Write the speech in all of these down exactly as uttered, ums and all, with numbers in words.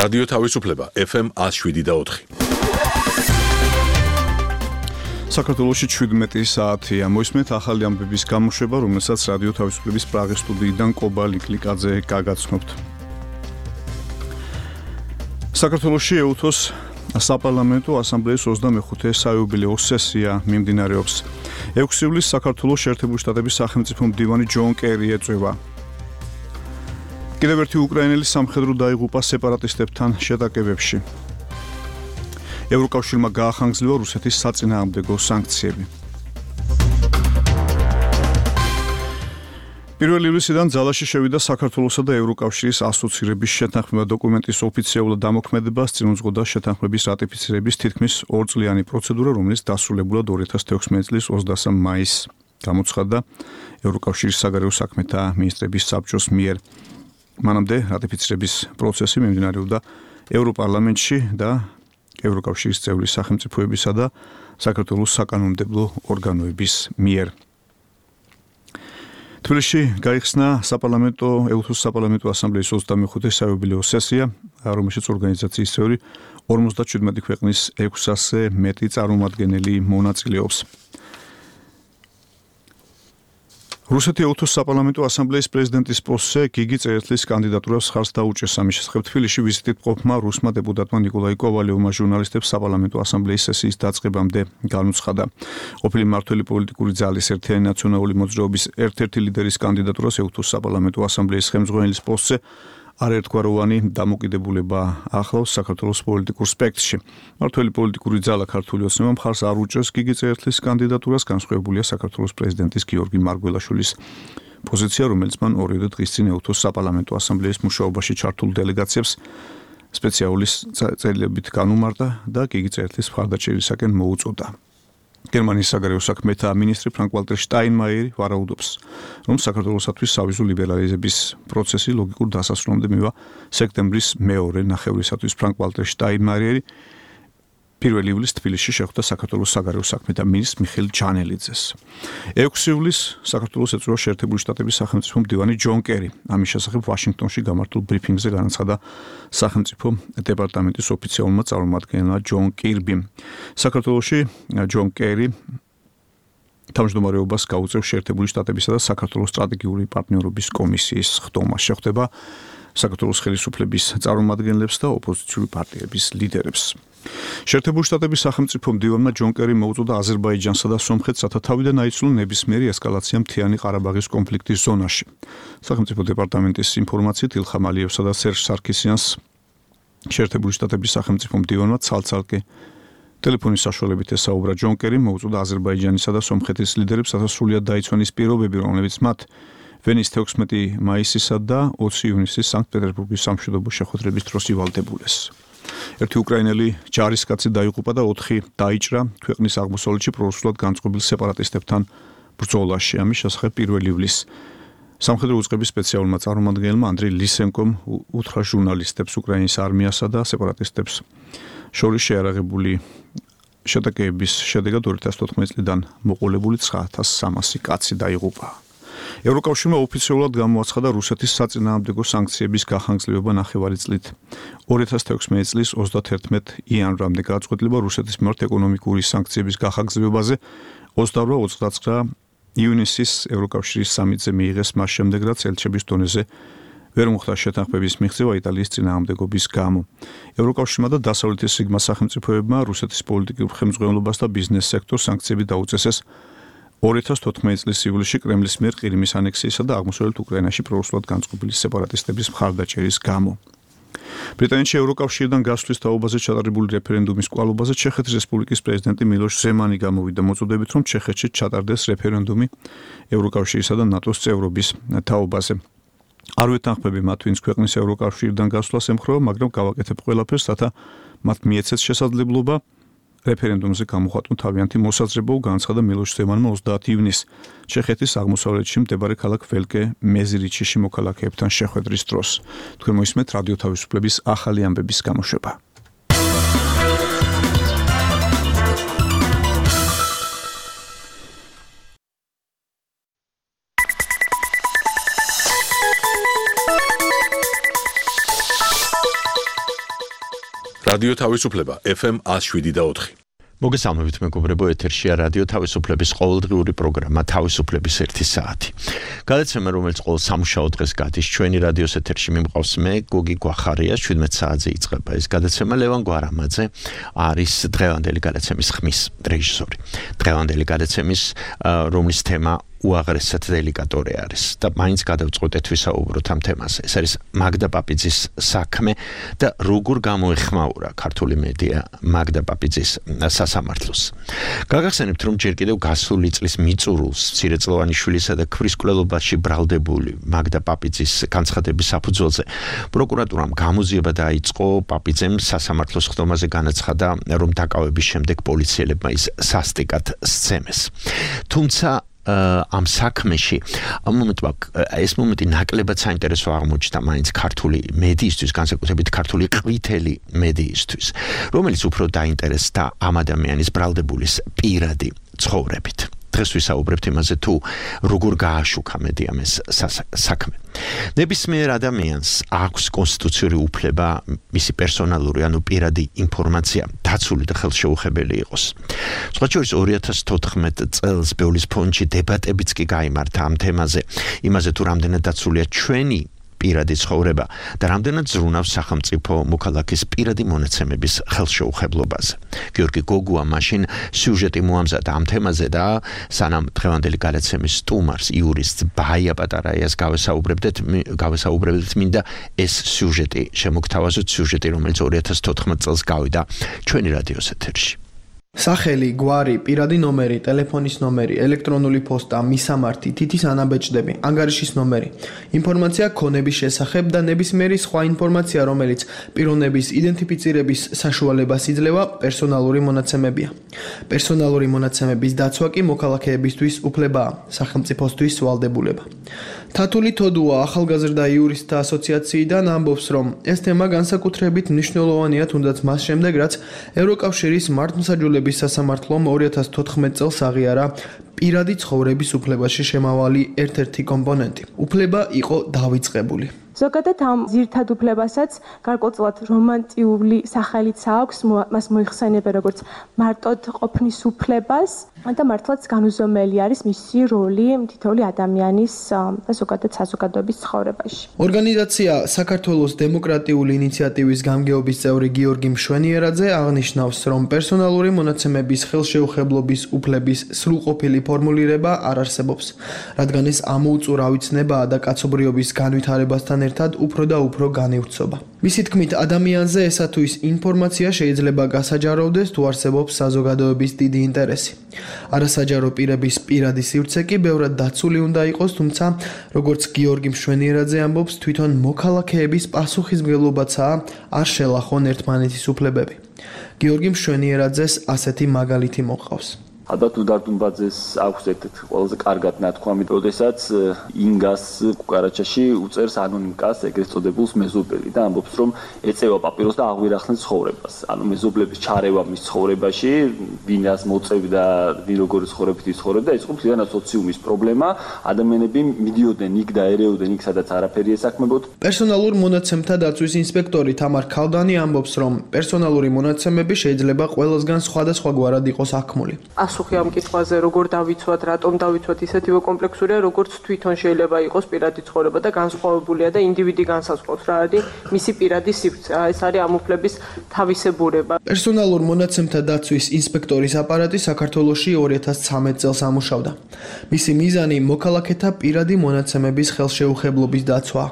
რადიო თავისუფლება ეფ ემ one oh seven და four. საქართველოში შვიდმეტი საათია. მოისმენთ ახალი ამბების გამოშვება, რომელსაც რადიო თავისუფლების პრაღის სტუდიიდან კობა ლიკლიკაძე გაგაცნობთ. საქართველოში ეუთოს საპარლამენტო ასამბლეის ოცდამეხუთე საიუბილეო სესია მიმდინარეობს. ექვსი ივლისს საქართველოს შეერთებული შტატების სახელმწიფო მდივანი ჯონ კერი ეწვევა. კიდევ ერთი უკრაინელი სამხედრო დაიღუპა სეპარატისტებთან შეტაკებებში. ევროკავშირმა გაახანგრძლივა რუსეთის საწინააღმდეგო სანქციები. პირველი ივლისიდან ძალაში შევიდა საქართველოსა და ევროკავშირის ასოცირების შეთანხმება დოკუმენტის ოფიციალურად დამოქმედებას წინ უძღოდა შეთანხმების რატიფიცირების თითქმის ორწლიანი პროცედურა, რომელიც დასრულებულად ორი ათას თექვსმეტი წლის ოცდასამ მაისს გამოცხადდა ევროკავშირის საგარეო საქმეთა მინისტრების საბჭოს მიერ. მანამდე რატიფიცირების პროცესი მიმდინარეობდა ევროპარლამენტში და ევროკავშირის წევრი სახელმწიფოებისა და საქართველოს საკანონმდებლო ორგანოების მიერ. თბილისში გაიხსნა საპარლამენტო ეუთოს საპარლამენტო ასამბლეის ოცდამეხუთე საიუბილეო სესია, რომელშიც ორგანიზაციის წევრი ორმოცდაშვიდმეტი ქვეყნის ექვსასზე მეტი წარმომადგენელი მონაწილეობს. რუსეთი ეუთოს საპარლამენტო ასამბლეის პრეზიდენტის პოსტზე გიგი წერეთლის კანდიდატურას ხარს დაუჭერს. ამის შესახებ თბილისში ვიზიტით მყოფმა რუსმა დეპუტატმა ნიკოლაი კოვალიოვმა ჟურნალისტებს საპარლამენტო ასამბლეის სესიის დაწყებამდე განუცხადა. ყოფილი მმართველი პოლიტიკური ძალის ერთიანი ნაციონალური მოძრაობის ერთ-ერთი ლიდერის კანდიდატურას ეუთოს საპარლამენტო ასამბლეის ხელმძღვანელის პოსტზე არაერთგვაროვანი დამოკიდებულება ახლავს საქართველოს პოლიტიკურ სპექტრში. მმართველი პოლიტიკური ძალა ქართული ოცნება მხარს არ უჭერს გიგი წერეთლის კანდიდატურას, განსხვავებულია საქართველოს პრეზიდენტის გიორგი მარგველაშვილის პოზიცია, რომელიც მან ორიოდე დღის წინ ეუთოს საპარლამენტო ასამბლეის მუშაობაში ჩართულ დელეგაციებს სპეციალური წერილებით განუმარტა და გიგი წერეთლის მხარდაჭერისაკენ მოუწოდა. გერმანიის საგარეო საქმეთა მინისტრი ფრანკ-ვალტერ შტაინმაიერი ვარაუდობს, რომ საქართველოსათვის სავიზო ლიბერალიზების პროცესი ლოგიკურ დასასრულამდე მივა სექტემბრის მეორე ნახევრისათვის. ფრანკ-ვალტერ შტაინმაიერი პირველი ივლისს თბილისში შეხვდა საქართველოს საგარეო საქმეთა მინისტრ მიხეილ ჯანელიძეს. ექვსი ივლისს საქართველოს ეწვევა შეერთებული შტატების სახელმწიფო მდივანი ჯონ კერი. ამის შესახებ ვაშინგტონში გამართულ ბრიფინგზე განაცხადა სახელმწიფო დეპარტამენტის ოფიციალურმა წარმომადგენელმა ჯონ კირბიმ. საქართველოში ჯონ კერი თავმჯდომარეობას გაუწევს შეერთებული შტატებისა და საქართველოს სტრატეგიული პარტნიორობის კომისიის ხდომა. შეხვდება საქართველოს ხელისუფლების წარმომადგენლებს და ოპოზიციური პარტიების ლიდერებს. შეერთებული შტატების სახელმწიფო მდივანმა ჯონ კერიმ მოუწოდა აზერბაიჯანსა და სომხეთს, რათა თავიდან აიცვლონ ნებისმიერი ესკალაცია მთიანი ყარაბაღის კონფლიქტის ზონაში. სახელმწიფო დეპარტამენტის ინფორმაციით ილხამ ალიევსა და სერჟ სარქისიანს შეერთებული შტატების სახელმწიფო მდივანმა ცალ-ცალკე ტელეფონის საშუალებით ესაუბრა ჯონ კერიმ, მოუწოდა აზერბაიჯანისა და სომხეთის ლიდერებს, რათა სრულად დაიცვან ის პირობები, რომლებიც მათ ვენის თექვსმეტი მაისისა და ოცი ივნისის სანქტ-პეტერბურგის სამშვიდობო შეხვედრების დროს ივალდებულეს. ერთი უკრაინელი ჯარისკაცი დაიღუპა და ოთხი დაიჭრა ქვეყნის აღმოსავლეთში პრორუსულად განწყობილ სეპარატისტებთან ბრძოლაში. ამის შესახებ პირველი ივლისს სამხედრო უწყების სპეციალურმა წარმომადგენელმა ანდრეი ლისენკომ უთხრა ჟურნალისტებს უკრაინის არმიასა და სეპარატისტებს შორის შეარაღებული შეტაკების შედეგად ორი ათას თოთხმეტი წლიდან მოყოლებული ცხრა ათას სამასი კაცი დაიღუპა. ევროკავშირმა ოფიციალურად გამოაცხადა რუსეთის საწინააღმდეგო სანქციების გახანგრძლივება ნახევარი წლით. ორი ათას თექვსმეტი წლის ოცდათერთმეტი იანვრამდე გადაწყვეტილება რუსეთის მიმართ ეკონომიკური სანქციების გახანგრძლივებაზე ოცდაორი ოცდაცხრა ივნისის ევროკავშირის სამიტზე მიიღეს, მას შემდეგ რაც ელჩების დონეზე ვერ მოხდა შეთანხმების მიღწევა იტალიის წინააღმდეგობის გამო. ევროკავშირმა და დასავლეთის სიგმა სახელმწიფოებმა რუსეთის პოლიტიკურ ხელმძღვანელობას და ბიზნეს სექტორს სანქციები დაუწესეს ორი ათას თოთხმეტი წლის ივლისში კრემლის მიერ ყირიმის ანექსიისა და აღმოსავლეთ უკრაინაში პრორუსულად განწყობილი სეპარატისტების მხარდაჭერის გამო. ბრიტანეთში ევროკავშირიდან გასვლის თაობაზე ჩატარებული რეფერენდუმის კვალობაზე ჩეხეთის რესპუბლიკის პრეზიდენტი მილოშ ზემანი გამოვიდა მოწოდებით, რომ ჩეხეთში ჩატარდეს რეფერენდუმი ევროკავშირისა და ნატოს წევრობის თაობაზე. არ ვეთანხმები მათ, ვინც ქვეყნის ევროკავშირიდან გასვლას ემხრობა, მაგრამ გავაკეთებ ყველაფერს, რათა მათ მიეცეთ შესაძლებლობა რეფერენდუმზე გამოხატონ თავიანთი მოსაზრება, განაცხადა მილოშ ზემანმა ოცდაათი ივნისს ჩეხეთის აღმოსავლეთში მდებარე ქალაქ ველკე მეზირიჩიში მოქალაქეებთან შეხვედრის დროს. თქვენ მოისმენთ რადიო თავისუფლების ახალი ამბების გამოშვება. რადიო თავისუფლება ეფ ემ one oh seven point four. მოგესალმებით მეგობრებო, ეთერშია რადიო თავისუფლების ყოველდღიური პროგრამა თავისუფლების ერთი საათი. გადაცემა, რომელიც ყოველ სამუშაო დღეს გადის ჩვენი რადიოს ეთერში მიმყავს მე, გოგი გვახარია, შვიდმეტ საათზე იწყება ეს გადაცემა. ლევან გვარამაძე არის დღევანდელი გადაცემის ხმის რეჟისორი. დღევანდელი გადაცემის რომლის თემა უაღრესად დელიკატორი არის და მაინც გადავწყვეტეთ ვისაუბროთ ამ თემაზე. ეს არის მაგდა პაპიძის საქმე და როგორ გამოეხმაურა ქართული მედია მაგდა პაპიძის სასამართლოს. გაგახსენებთ, რომ ჯერ კიდევ გასული წლის მიწურულს მცირეწლოვანი შვილისა და ქვის კვლელობაში ბრალდებული მაგდა პაპიძის განცხადების საფუძველზე პროკურატურამ გამოძიება დაიწყო. პაპიძემ სასამართლოს ხდომაზე განაცხადა, რომ დაკავების შემდეგ პოლიციელებმა ის სასტიკად სცემეს. თუმცა ამ საქმეში ამ მომენტმა ეს მომენტი ნაკლებად საინტერესო აღმოჩნდა მაინც ქართული მედიისთვის, განსაკუთრებით ქართული ყვითელი მედიისთვის, რომელიც უფრო დაინტერესდა ამ ადამიანის ბრალდებულის პირადი ცხოვრებით. დღეს ვისაუბრებთ იმაზე, თუ როგორ გააშუქა მედიამ ეს საქმე. ნებისმიერ ადამიანს აქვს კონსტიტუციური უფლება მისი პერსონალური ანუ პირადი ინფორმაცია დაცული და ხელშეუხებელი იყოს. სხვა შორის ორი ათას თოთხმეტ წელს ბეულის ფონდში დებატებიც კი გაიმართა ამ თემაზე, იმაზე თუ რამდენად დაცულია ჩვენი პირადი ცხოვრება და რამდენად ზრუნავს სახელმწიფო მოქალაქის პირადი მონაცემების ხელშეუხებლობაზე. გიორგი გოგუა მაშინ სიუჟეტი მოამზადა ამ თემაზე და სანამ დღევანდელი გადაცემის სტუმარს იურისტ ბაია პატარაიას გავესაუბრებდეთ, გავესაუბრებდით მინდა ეს სიუჟეტი შემოგთავაზოთ, სიუჟეტი, რომელიც ორი ათას თოთხმეტ წელს გავიდა ჩვენი რადიოს ეთერში. სახელი, გვარი, პირადი ნომერი, ტელეფონის ნომერი, ელექტრონული პოსტა, მისამართი, თითის ანაბეჭდები, ანგარიშის ნომერი, ინფორმაცია ქონების შესახებ და ნებისმიერი სხვა ინფორმაცია, რომელიც პიროვნების იდენტიფიცირების საშუალებას იძლევა, პერსონალური მონაცემებია. პერსონალური მონაცემების დაცვა კი მოქალაქეებისთვის უფლებაა, სახელმწიფოსთვის ვალდებულება. თათული თოდუა ახალგაზრდა იურისტთა ასოციაციიდან ამბობს, რომ ეს თემა განსაკუთრებით მნიშვნელოვანია, თუნდაც მას შემდეგ, რაც ევროკავშირის მართლმსაჯულების სასამართლომ ორი ათას თოთხმეტ წელს აღიარა პირადი ცხოვრების უფლებაში შემავალი ერთ-ერთი კომპონენტი. უფლება იყო დავიწყებული. ზოგადად ამ ძირითად უფლებასაც გარკვეულწილად რომანტიული სახელიც აქვს, მას მოიხსენიება როგორც მარტოდ ყოფნის უფლებას და მართლაც განუზომელი არის მისი როლი თითოეული ადამიანის და ზოგადად საზოგადოების ცხოვრებაში. ორგანიზაცია საქართველოს დემოკრატიული ინიციატივის გამგეობის წევრი გიორგი მშვენიერაძე აღნიშნავს, რომ პერსონალური მონაცემების ხელშეუხებლობის უფლების სრულყოფილი ფორმულირება არ არსებობს, რადგან ეს ამოუწურავი ცნებაა და კაცობრიობის განვითარებასთან ერთად უფრო და უფრო განივრცობა. მისი თქმით, ადამიანზე ესა თუ ის ინფორმაცია შეიძლება გასაჯაროვდეს, თუ არსებობს საზოგადოების დიდი ინტერესი. არასაჯარო პირების პირადი სივრცე კი ბევრად დაცული უნდა იყოს, თუმცა, როგორც გიორგი მშვენიერაძე ამბობს, თვითონ მოქალაქეების პასუხისმგებლობაცაა არ შელახონ ერთმანეთის უფლებები. გიორგი მშვენიერაძეს ასეთი მაგალითი მოყავს. ალბათ უდარდუნბაძეს აქვს ერთ-ერთი ყველაზე კარგად ნათქვამი, როდესაც ინგას კუკარაჩაში უწერს ანონიმკას ეგრეთ წოდებულს მეზობელი და ამბობს, რომ ეწევა პაპიროს და აღვირახნეს ცხოვრებას. ანუ მეზობლების ჩარევა მის ცხოვრებაში, ვინას მოწევდა, ვინ როგორი ცხოვრებით იცხოვრებდა, ეს იყო მთლიანად სოციუმის პრობლემა. ადამიანები მიდიოდნენ იქ და ერეოდნენ იქ, სადაც არაფერი ესაქმებოდ. პერსონალურ მონაცემთა დაცვის ინსპექტორი თამარ ქალდანი ამბობს, რომ პერსონალური მონაცემები შეიძლება ყველასგან სხვადასხვაგვარად იყოს აქმული. ასუხი ამ კითხვაზე, როგორ დავიცვათ, რატომ დავიცვათ, ისეთივე კომპლექსურია, როგორც თვითონ შეიძლება იყოს პირადი ცხოვრება და განსხვავებულია და ინდივიდი განსაზღვრავს რა არის მისი პირადი სივრცე. ეს არის ამ უფლების თავისებურება. პერსონალურ მონაცემთა დაცვის ინსპექტორის აპარატი საქართველოში ორი ათას ცხრამეტ წელს ამუშავდა. მისი მიზანი მოქალაქეთა პირადი მონაცემების ხელშეუხებლობის დაცვა.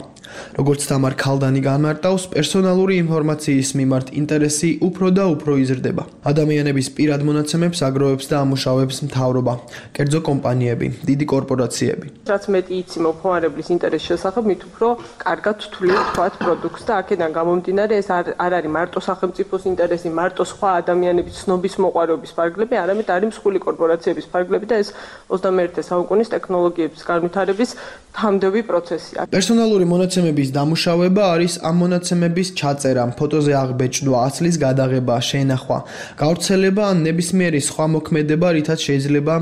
როგორც თამარ ქალდანი განმარტავს, პერსონალური ინფორმაციის მიმართ ინტერესი უფრო და უფრო იზრდება. ადამიანების პირად მონაცემებს აგროვებს და ამუშავებს მთავრობა, კერძო კომპანიები, დიდი კორპორაციები. რაც მეტი იცი მომხმარებლის ინტერესის შესახებ, მით უფრო კარგად თვლით თქვათ პროდუქტს და აქედან გამომდინარე ეს არ არის მარტო სახელმწიფოს ინტერესი, მარტო სხვა ადამიანების ცნობის მოყვარეობის ფარგლები, არამედ არის მსხვილი კორპორაციების ფარგლები და ეს ოცდამეერთე საუკუნის ტექნოლოგიების განვითარების თამდევი პროცესია. პერსონალური მონაცემების დამუშავება არის ამ მონაცემების ჩაწერა, ფოტოზე აღბეჭდვა, ასლის გადაღება, შენახვა, გავრცელება ან ნებისმიერი სხვა მოქმედება, რითაც შეიძლება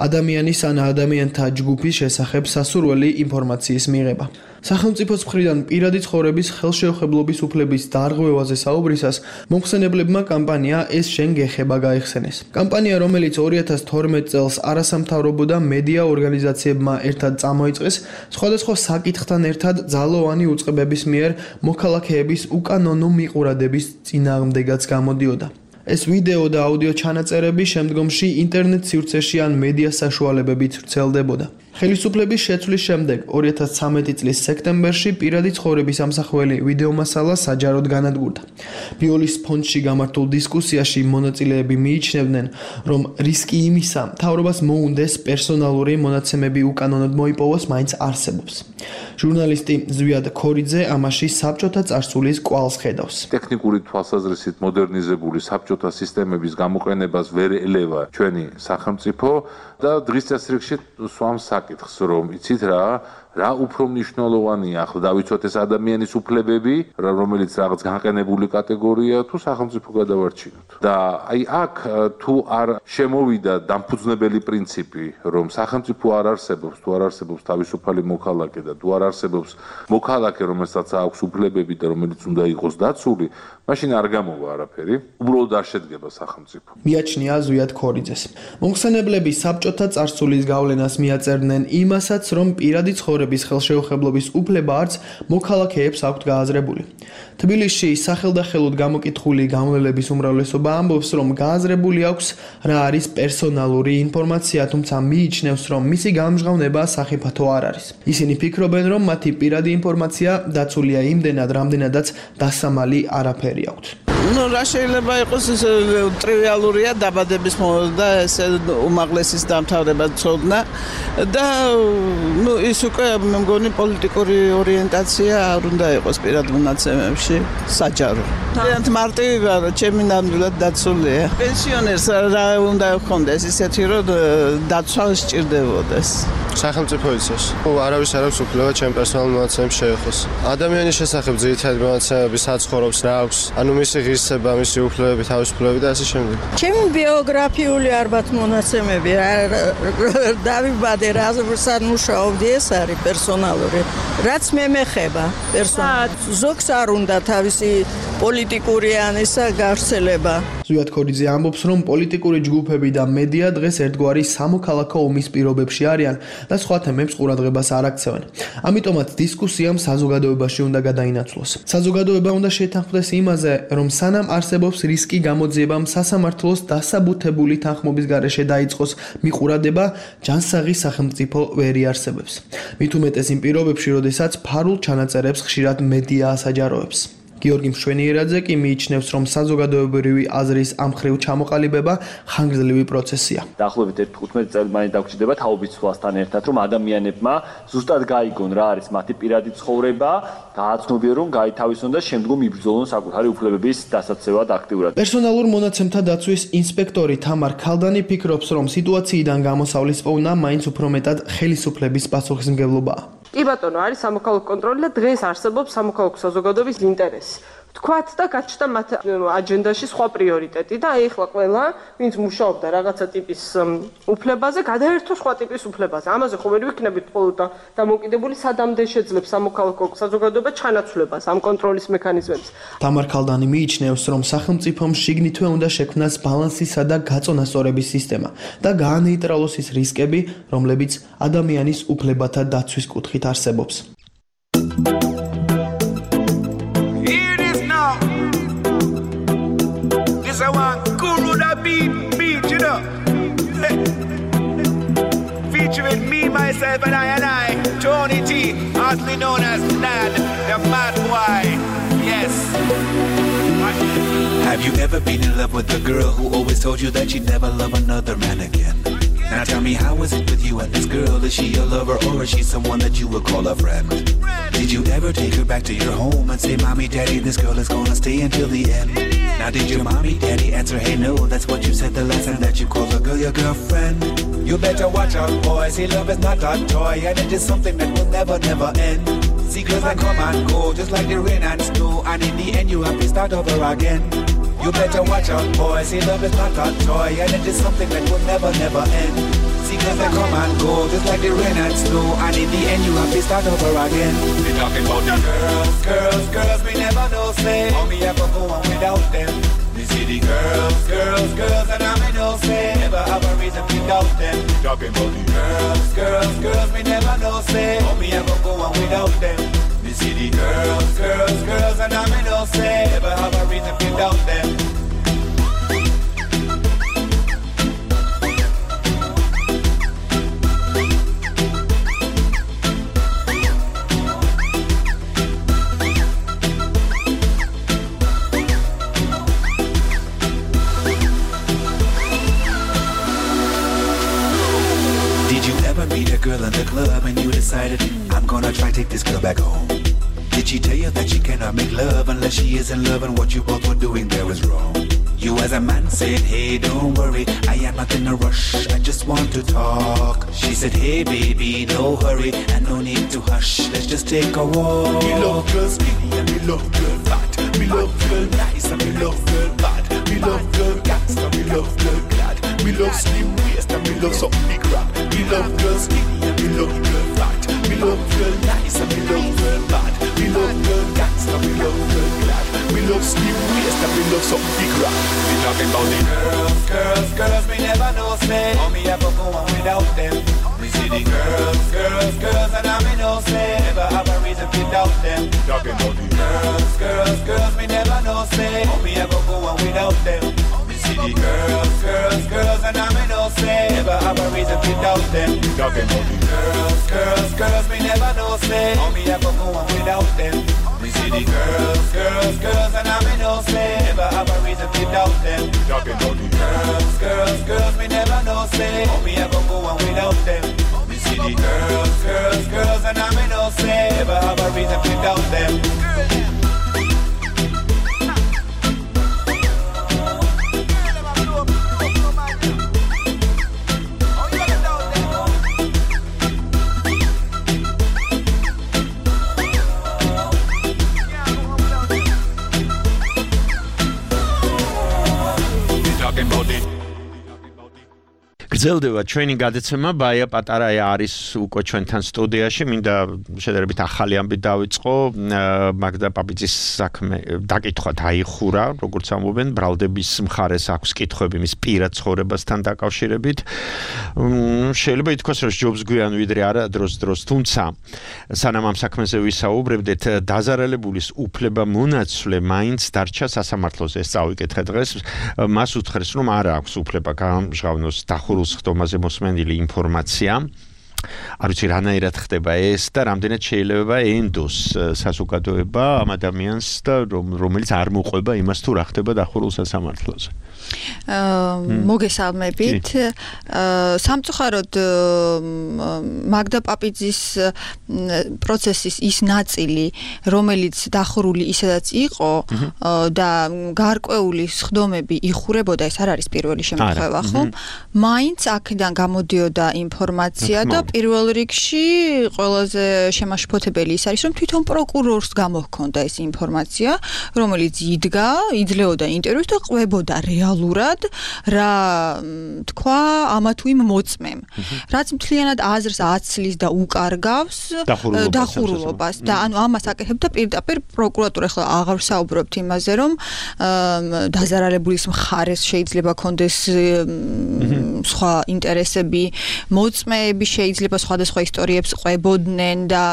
ადამიანის ან ადამიანთა ჯგუფის შესახებ სასურველი ინფორმაციის მიღება. სახელმწიფოს მხრიდან პირადი ცხოვრების ხელშეუხებლობის უფლების დარღვევაზე საუბრისას მომხსენებლებმა კამპანია ეს შენ გეხება გაიხსენეს. კამპანია, რომელიც ორი ათას თორმეტ წელს არასამთავრობო და მედია ორგანიზაციებმა ერთად წამოიწყეს, სხვადასხვა საკითხთან ერთად ძალოვანი უწყებების მიერ მოქალაქეების უკანონო მიყურადების წინააღმდეგაც გამოდიოდა. ეს ვიდეო და აუდიო ჩანაწერები შემდგომში ინტერნეტ სივრცეში ან მედია საშუალებებით ვრცელდებოდა. ხელისუფლების შეცვლის შემდეგ ორი ათას ცხრამეტი წლის სექტემბერში პირადი ცხოვრების ამსახველი ვიდეომასალა საჯაროდ განადგურდა. ბიოლის ფონდში გამართულ დისკუსიაში მონაწილეები მიიჩნევდნენ, რომ რისკი იმისა, მთავრობას მოუნდეს პერსონალური მონაცემები უკანონოდ მოიპოვოს, მაინც არსებობს. ჟურნალისტი ზვიად ქორიძე ამაში საბჭოთა წარსულის კვალს ხედავს. ტექნიკური თვალსაზრისით მოდერნიზებული საბჭოთა სისტემების გამოყენებას ვერ ელევა ჩვენი სახელმწიფო და დღის წესრიგში სვამს საკითხს, რომ იცით რა, რა უფრო მნიშვნელოვანია ახლა დავიცვათ ეს ადამიანის უფლებები, რომელიც რაღაც განყენებული კატეგორია თუ სახელმწიფო გადავარჩინოთ. და აი აქ თუ არ შემოვიდა დამფუძნებელი პრინციპი, რომ სახელმწიფო არ არსებობს, თუ არ არსებობს თავისუფალი მოქალაქე და თუ არ არსებობს მოქალაქე, რომელსაც აქვს უფლებები და რომელიც უნდა იყოს დაცული, მაშინ არ გამოვა არაფერი, უბრალოდ არ შედგება სახელმწიფო. მიაჩნია ზვიად ქორიძეს. მომხსენებლები საბჭოთა წარსულის გავლენას მიაწერდნენ იმასაც, რომ პირადი ცხოვრების ხელშეუხებლობის უფლება არც მოქალაქეებს აქვთ გააზრებული. თბილისში სახელდახელოდ გამოკითხული გამვლელების უმრავლესობა ამბობს, რომ გააზრებული აქვს რა არის პერსონალური ინფორმაცია, თუმცა მიიჩნევს, რომ მისი გამჟღავნება სახიფათო არ არის. ისინი ფიქრობენ, რომ მათი პირადი ინფორმაცია დაცულია იმდენად, რამდენადაც დასამალი არაფერი აქვთ. Ну, რა შეიძლება იყოს ეს ტრივიალურია დაბადების და ეს უმაღლესის დამთავრება ცოდნა და ну ის უკვე მე მგონი პოლიტიკური ორიენტაცია არ უნდა იყოს პირად მონაცემებში საჯარო. ძალიან მარტივი ვარ, ჩემი ნამდვილად დაცულია. პენსიონერს რა უნდა ჰქონდეს ისეთი რომ დაცვა სჭირდებოდეს. სახელმწიფო იცის. არავის არ აქვს უფლება ჩემ პერსონალურ მონაცემებს შეეხოს. ადამიანის შესახებ ძირითადი მონაცემები საცხოვრობს რა აქვს, ანუ მისი ღირსება, მისი უფლებები, თავისუფლებები და ასე შემდეგ. ჩემი ბიოგრაფიული ალბათ მონაცემები დავიბადე რა სად მუშაობდი ეს არის პერსონალური. რაც მე მეხება პერსონალ. ზოგს არ უნდა თავისი პოლიტიკური ან ისა გავრცელება. ზვიად ქორიძე ამბობს, რომ პოლიტიკური ჯგუფები და მედია დღეს ერთგვარი სამოქალაქო ომის პირობებში არიან და სხვა თემებს ყურადღებას არ აქცევენ. ამიტომაც დისკუსიამ საზოგადოებაში უნდა გადაინაცვლოს. საზოგადოება უნდა შეთანხმდეს იმაზე, რომ სანამ არსებობს რისკი გამოძიებამ სასამართლოს დასაბუთებული თანხმობის გარეშე დაიწყოს მიყურადება, ჯანსაღი სახელმწიფო ვერ იარსებებს. მით უმეტეს იმ პირობებში, როდესაც ფარულ ჩანაწერებს ხშირად მედია ასაჯაროებს. გიორგი მშვენიერაძე კი მიიჩნევს, რომ საზოგადოებრივი აზრის ამ მხრივ ჩამოყალიბება ხანგრძლივი პროცესია. დაახლოებით თხუთმეტი წელი მაინც დაგჭირდება თაობის ცვლასთან ერთად, რომ ადამიანებმა ზუსტად გაიგონ რა არის მათი პირადი ცხოვრება, გააცნობიერონ, გაითავისონ და შემდგომ იბრძოლონ საკუთარი უფლებების დასაცევად აქტიურად. პერსონალურ მონაცემთა დაცვის ინსპექტორი თამარ ქალდანი ფიქრობს, რომ სიტუაციიდან გამოსავლის პოვნა მაინც უფრო მეტად ხელისუფლების პასუხისმგებლობაა. კი ბატონო, არის სამოქალაქო კონტროლი და დღეს არსებობს სამოქალაქო საზოგადოების ინტერესი. თქვათ და გაჩნდა მათ აჯენდაში სხვა პრიორიტეტი და აი ახლა ყველა, ვინც მუშაობდა რაღაცა ტიპის უფლებაზე, გადაერთო სხვა ტიპის უფლებაზე. ამაზე ხომ ვერ ვიქნებით მხოლოდ და დამოკიდებული სადამდე შეძლებს სამოქალაქო საზოგადოება ჩანაცვლებას ამ კონტროლის მექანიზმებს. თამარ ქალდანი მიიჩნევს, რომ სახელმწიფომ შიგნითვე უნდა შექმნას ბალანსისა და გაწონასწორების სისტემა და გაანეიტრალოს ის რისკები, რომლებიც ადამიანის უფლებათა დაცვის კუთხით არსებობს. I want Guru da beat, beat, you know. Featuring me, myself, and I and I, Tony T, also known as Nad, the mad boy. Yes. Have you ever been in love with a girl who always told you that she'd never love another man again? Now tell me, how is it with you and this girl? Is she your lover or is she someone that you would call a friend? Did you ever take her back to your home and say, Mommy, Daddy, this girl is gonna stay until the end? Now did your mommy, daddy answer, hey no, that's what you said the last time that you called a girl your girlfriend? You better watch out, boys, see love is not a toy and it is something that will never, never end. See girls that come and go, just like the rain and snow, and in the end you have to start over again. You better watch out, boys, see love is not a toy and it is something that will never, never end. See girls that come and go, just like the rain and snow. And in the end you have to start over again. They talking about the girls, girls, girls we never know say. How me ever go on without them. We see the girls, girls, girls, and I may know say. Never have a reason to doubt them. They talking about the girls, girls, girls we never know say. How me ever go on without them. We see the girls, girls, girls, and I may know say. Never have a reason to doubt them. Meet a girl in the club and you decided I'm gonna try take this girl back home. Did she tell you that she cannot make love unless she is in love and what you both were doing there was wrong? You as a man said, hey, don't worry, I am not in a rush, I just want to talk. She said, hey baby, no hurry and no need to hush, let's just take a walk. Me love girl skinny and me love girl fat. Me love girl nice and me love girl bad. Me love girl gangster, me love girl glad. Me love slim waist and me love some big rap. Me love girl skinny and me love girl fat. Me love girl nice and me love girl bad. Me love girl gangster, me love girl glad. Me love slim waist and me love some big rap. We talking about the girls, girls, girls we never know say. How me ever go on without them. We see the girls, girls, girls and I me know say. Never have a reason to doubt them. Talking about the girls, girls, girls we never know say. How me ever go on without them. See the girls, girls, girls, and I may know say. Never have a reason to doubt them. Talking about the girls, girls, girls, we never know say. How me ever go on without them. We see the girls, girls, girls, and I may know say. Never have a reason to doubt them. Talking about the girls, girls, girls, we never know say. How me ever go on without them. We see the girls, girls, girls, and I may know say. Never have a reason to doubt them. გრძელდება ჩვენი გადაცემა ბაია პატარაია არის უკვე ჩვენთან სტუდიაში მინდა შედარებით ახალი ამბით დავიწყო მაგდა პაპიძის საქმე დაკითხვა დაიხურა როგორც ამბობენ ბრალდების მხარეს აქვს კითხვები მის პირად ცხოვრებასთან დაკავშირებით შეიძლება ითქვას რომ ჯობს გვიან ვიდრე არა დროს დროს თუმცა სანამ ამ საქმეზე ვისაუბრებდეთ დაზარალებულის უფლება მონაცვლე მაინც დარჩა სასამართლოზე ეს წავიკითხე დღეს მას უთხრეს რომ არ აქვს უფლება გამჟღავნოს დახურულ ხდომაზე მოსმენილი ინფორმაცია არ ვიცი რანაირად ხდება ეს და რამდენად შეიძლება ენდოს საზოგადოება ამ ადამიანს და რომელიც არ მოყვება იმას თუ რა ხდება დახურულ სასამართლოზე მოგესალმებით სამწუხაროდ მაგდა პაპიძის პროცესის ის ნაწილი რომელიც დახურული ისედაც იყო და გარკვეული სხდომები იხურებოდა ეს არ არის პირველი შემთხვევა ხომ მაინც აქედან გამოდიოდა ინფორმაცია და პირველ რიგში ყველაზე შემაშფოთებელი ის არის რომ თვითონ პროკურორს გამოჰქონდა ეს ინფორმაცია რომელიც იდგა იძლეოდა ინტერვიუს და ყვებოდა რეალურად რა თქვა ამა თუ იმ მოწმემ რაც მთლიანად აზრს აცლის და უკარგავს დახურულობას და ანუ ამას აკეთებდა პირდაპირ პროკურატურა ახლა აღარ საუბრობთ იმაზე რომ დაზარალებულის მხარეს შეიძლება კონდეს სხვა ინტერესები მოწმეები შეიძლება სხვადასხვა ისტორიებს ყვებოდნენ და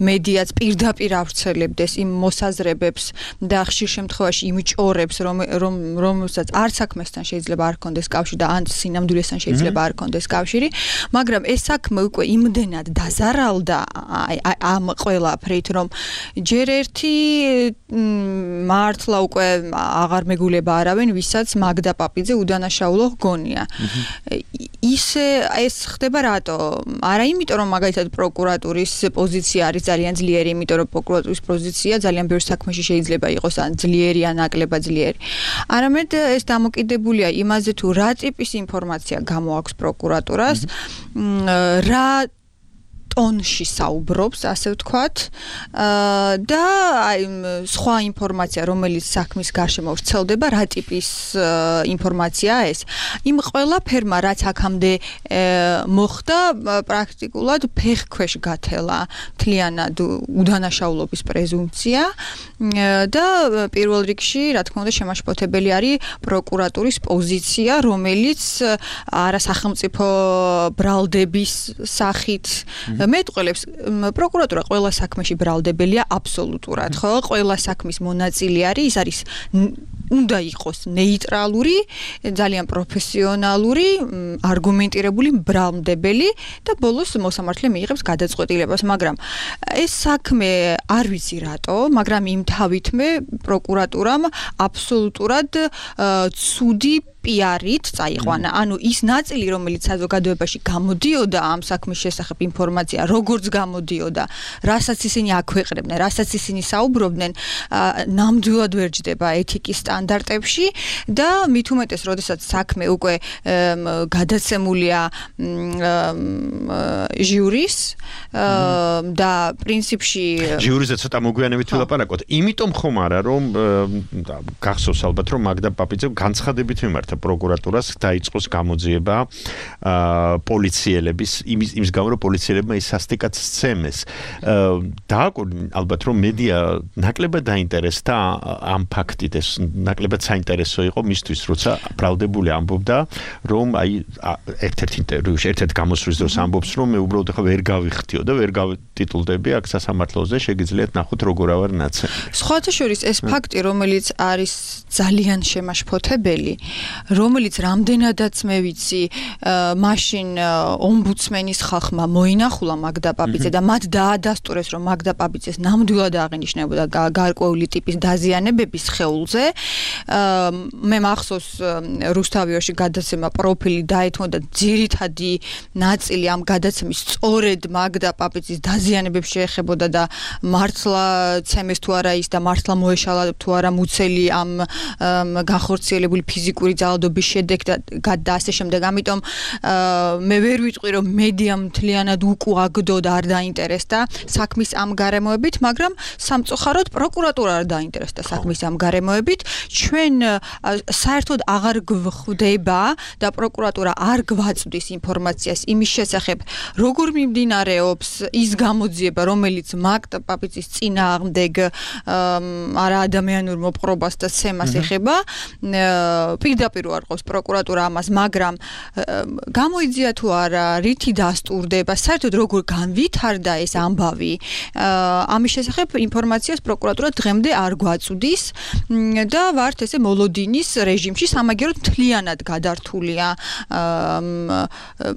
მედიაც პირდაპირ ავრცელებდეს იმ მოსაზრებებს და ხშირ შემთხვევაში იმ ჭორებს რომ რომელსაც არ საქმესთან შეიძლება არ კონდეს კავშირი და ან სინამდვილესთან შეიძლება არ კონდეს კავშირი მაგრამ ეს საქმე უკვე იმდენად დაზარალდა ამ ყველაფრით რომ ჯერ ერთი მართლა უკვე აღარ მეგულება არავინ ვისაც მაგდა პაპიძე უდანაშაულო გონია ისე ეს ხდება რატო არა იმიტომ რომ მაგალითად პროკურატურის პოზიცია არის ძალიან ძლიერი იმიტომ რომ პროკურატურის პოზიცია ძალიან ბევრ საქმეში შეიძლება იყოს ან ძლიერი ან ნაკლებად ძლიერი არამედ ეს დამოკიდებულია იმაზე თუ რა ტიპის ინფორმაცია გამოაქვს პროკურატურას რა ტონში საუბრობს, ასე ვთქვათ, და აი სხვა ინფორმაცია, რომელიც საქმის გარშემო ვრცელდება, რა ტიპის ინფორმაციაა ეს? იმ ყველაფერმა, რაც აქამდე მოხდა, პრაქტიკულად ფეხქვეშ გათელა მთლიანად უდანაშაულობის პრეზუმპცია და პირველ რიგში, რა თქმა უნდა, შემაშფოთებელი არის პროკურატურის პოზიცია, რომელიც არასახელმწიფო ბრალდების სახით მეტყველებს პროკურატურა ყველა საქმეში ბრალდებელია აბსოლუტურად, ხო? ყველა საქმის მონაწილე არის, ის არის უნდა იყოს ნეიტრალური, ძალიან პროფესიონალური, არგუმენტირებული, ბრალმდებელი და ბოლოს მოსამართლე მიიღებს გადაწყვეტილებას, მაგრამ ეს საქმე არ ვიცი რატო, მაგრამ იმ თავითმე პროკურატურამ აბსოლუტურად ცუდი პიარით წაიყვანა. ანუ ის ნაწილი, რომელიც საზოგადოებაში გამოდიოდა ამ საქმის შესახებ ინფორმაცია, როგორც გამოდიოდა, რასაც ისინი აქვეყნებდნენ, რასაც ისინი საუბრობდნენ, ნამდვილად ვერ ჯდება ეთიკის სტანდარტებში და მით უმეტეს, როდესაც საქმე უკვე გადაცემულია ჟიურის და პრინციპში ჟიურიზე ცოტა მოგვიანებით ვილაპარაკოთ. იმიტომ ხომ არა, რომ გახსოვს ალბათ, რომ მაგდა პაპიძემ განცხადებით მიმართა პროკურატურას დაიწყოს გამოძიება პოლიციელების იმის იმის გამო რომ პოლიციელებმა ის სასტიკად სცემეს. დააკვირდი ალბათ რომ მედია ნაკლებად დაინტერესდა ამ ფაქტით, ეს ნაკლებად საინტერესო იყო მისთვის, როცა ბრალდებული ამბობდა, რომ აი ერთ-ერთ ინტერვიუში, ერთ-ერთ გამოსვლის დროს ამბობს, რომ მე უბრალოდ ახლა ვერ გავიხთიო და ვერ გავტიტულდები აქ სასამართლოზე, შეგიძლიათ ნახოთ როგორ ავარ ნაცემი. სხვათა შორის ეს ფაქტი, რომელიც არის ძალიან შემაშფოთებელი, რომელიც რამდენადაც მე ვიცი, მაშინ ომბუდსმენის ხალხმა მოინახულა მაგდა პაპიძე და მათ დაადასტურეს, რომ მაგდა პაპიძეს ნამდვილად აღინიშნებოდა გარკვეული ტიპის დაზიანებების სხეულზე. მე მახსოვს რუსთავიაში გადაცემა პროფილი დაეთმოდა ძირითადი ნაწილი ამ გადაცემის სწორედ მაგდა პაპიძის დაზიანებებს შეეხებოდა და მართლა ცემეს თუ არა ის და მართლა მოეშალა თუ არა მუცელი ამ განხორციელებული ფიზიკური ძალადობის შედეგ და ასე შემდეგ. ამიტომ მე ვერ ვიტყვი, რომ მედიამ მთლიანად უკუაგდო და არ დაინტერესდა საქმის ამ გარემოებით, მაგრამ სამწუხაროდ პროკურატურა არ დაინტერესდა საქმის ამ გარემოებით. ჩვენ საერთოდ აღარ გვხვდება და პროკურატურა არ გვაწვდის ინფორმაციას იმის შესახებ, როგორ მიმდინარეობს ის გამოძიება, რომელიც მაგდა პაპიძის წინააღმდეგ არა ადამიანურ მოპყრობას და ცემას ეხება. პირდაპირ უარყოფს პროკურატურა ამას, მაგრამ გამოიძია თუ არა, რითი დასტურდება, საერთოდ როგორ განვითარდა ეს ამბავი, ამის შესახებ ინფორმაციას პროკურატურა დღემდე არ გვაწვდის და ვართ ესე მოლოდინის რეჟიმში, სამაგიეროდ მთლიანად გადართულია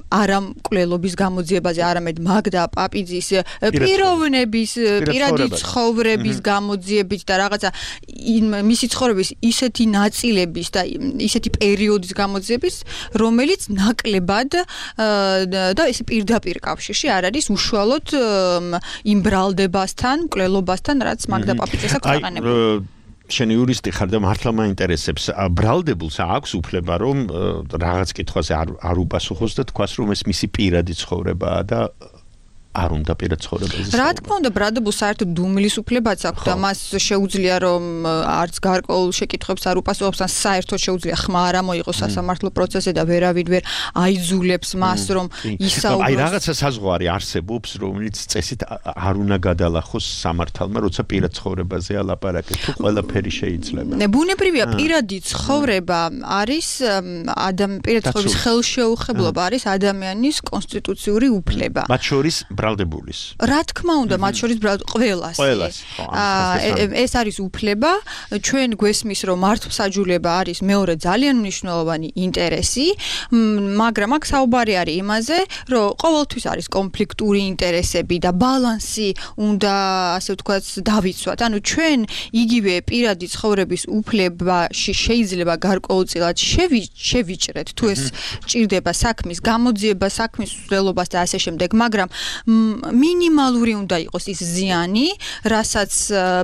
არა მკვლელობის გამოძიებაზე, არამედ მაგდა პაპიძის პიროვნების, პირადი ცხოვრების გამოძიებით და რაღაცა მისი ცხოვრების ისეთი ნაწილების და ისეთი პერიოდის გამოძიების, რომელიც ნაკლებად და ეს პირდაპირ კავშირში არ არის უშუალოდ იმ ბრალდებასთან, მკვლელობასთან, რაც მაგდა პაპიძეს აქვს აყენებული. შენ იურისტი ხარ და მართლა მაინტერესებს, ბრალდებულს აქვს უფლება, რომ რაღაც კითხვაზე არ უპასუხოს და თქვას, რომ ეს მისი პირადი ცხოვრებაა და არ უნდა პირად ცხოვრებაზე. რა თქმა უნდა, ბრალდებულს საერთოდ დუმილის უფლებაც აქვს და მას შეუძლია, რომ არც გარკვეულ შეკითხვებს არ უპასუხობს, ან საერთოდ შეუძლია ხმა არ ამოიღოს სასამართლო პროცესზე და ვერავინ ვერ აიძულებს მას, რომ ისაუბროს. აი რაღაცა საზღვარი არსებობს, რომელიც წესით არ უნდა გადალახოს სამართალმა, როცა პირად ცხოვრებაზე ალაპარაკეთ, თუ ყველაფერი შეიძლება. ბუნებრივია, პირადი ცხოვრება არის ადამიანი პირადი ცხოვრების ხელშეუხებლობა არის ადამიანის კონსტიტუციური უფლება. მათ შორის ბრალდებულის. რა თქმა უნდა, მათ შორის ყველას. ეს არის უფლება. ჩვენ გვესმის, რომ მართლმსაჯულება არის მეორე ძალიან მნიშვნელოვანი ინტერესი, მაგრამ აქ საუბარი არის იმაზე, რომ ყოველთვის არის კონფლიქტური ინტერესები და ბალანსი უნდა, ასე ვთქვათ, დავიცვათ. ანუ ჩვენ იგივე პირადი ცხოვრების უფლებაში შეიძლება გარკვეულწილად შევიჭრეთ, თუ ეს ჭირდება საქმის გამოძიება, საქმის მსვლელობას და ასე შემდეგ, მაგრამ მინიმალური უნდა იყოს ის ზიანი, რასაც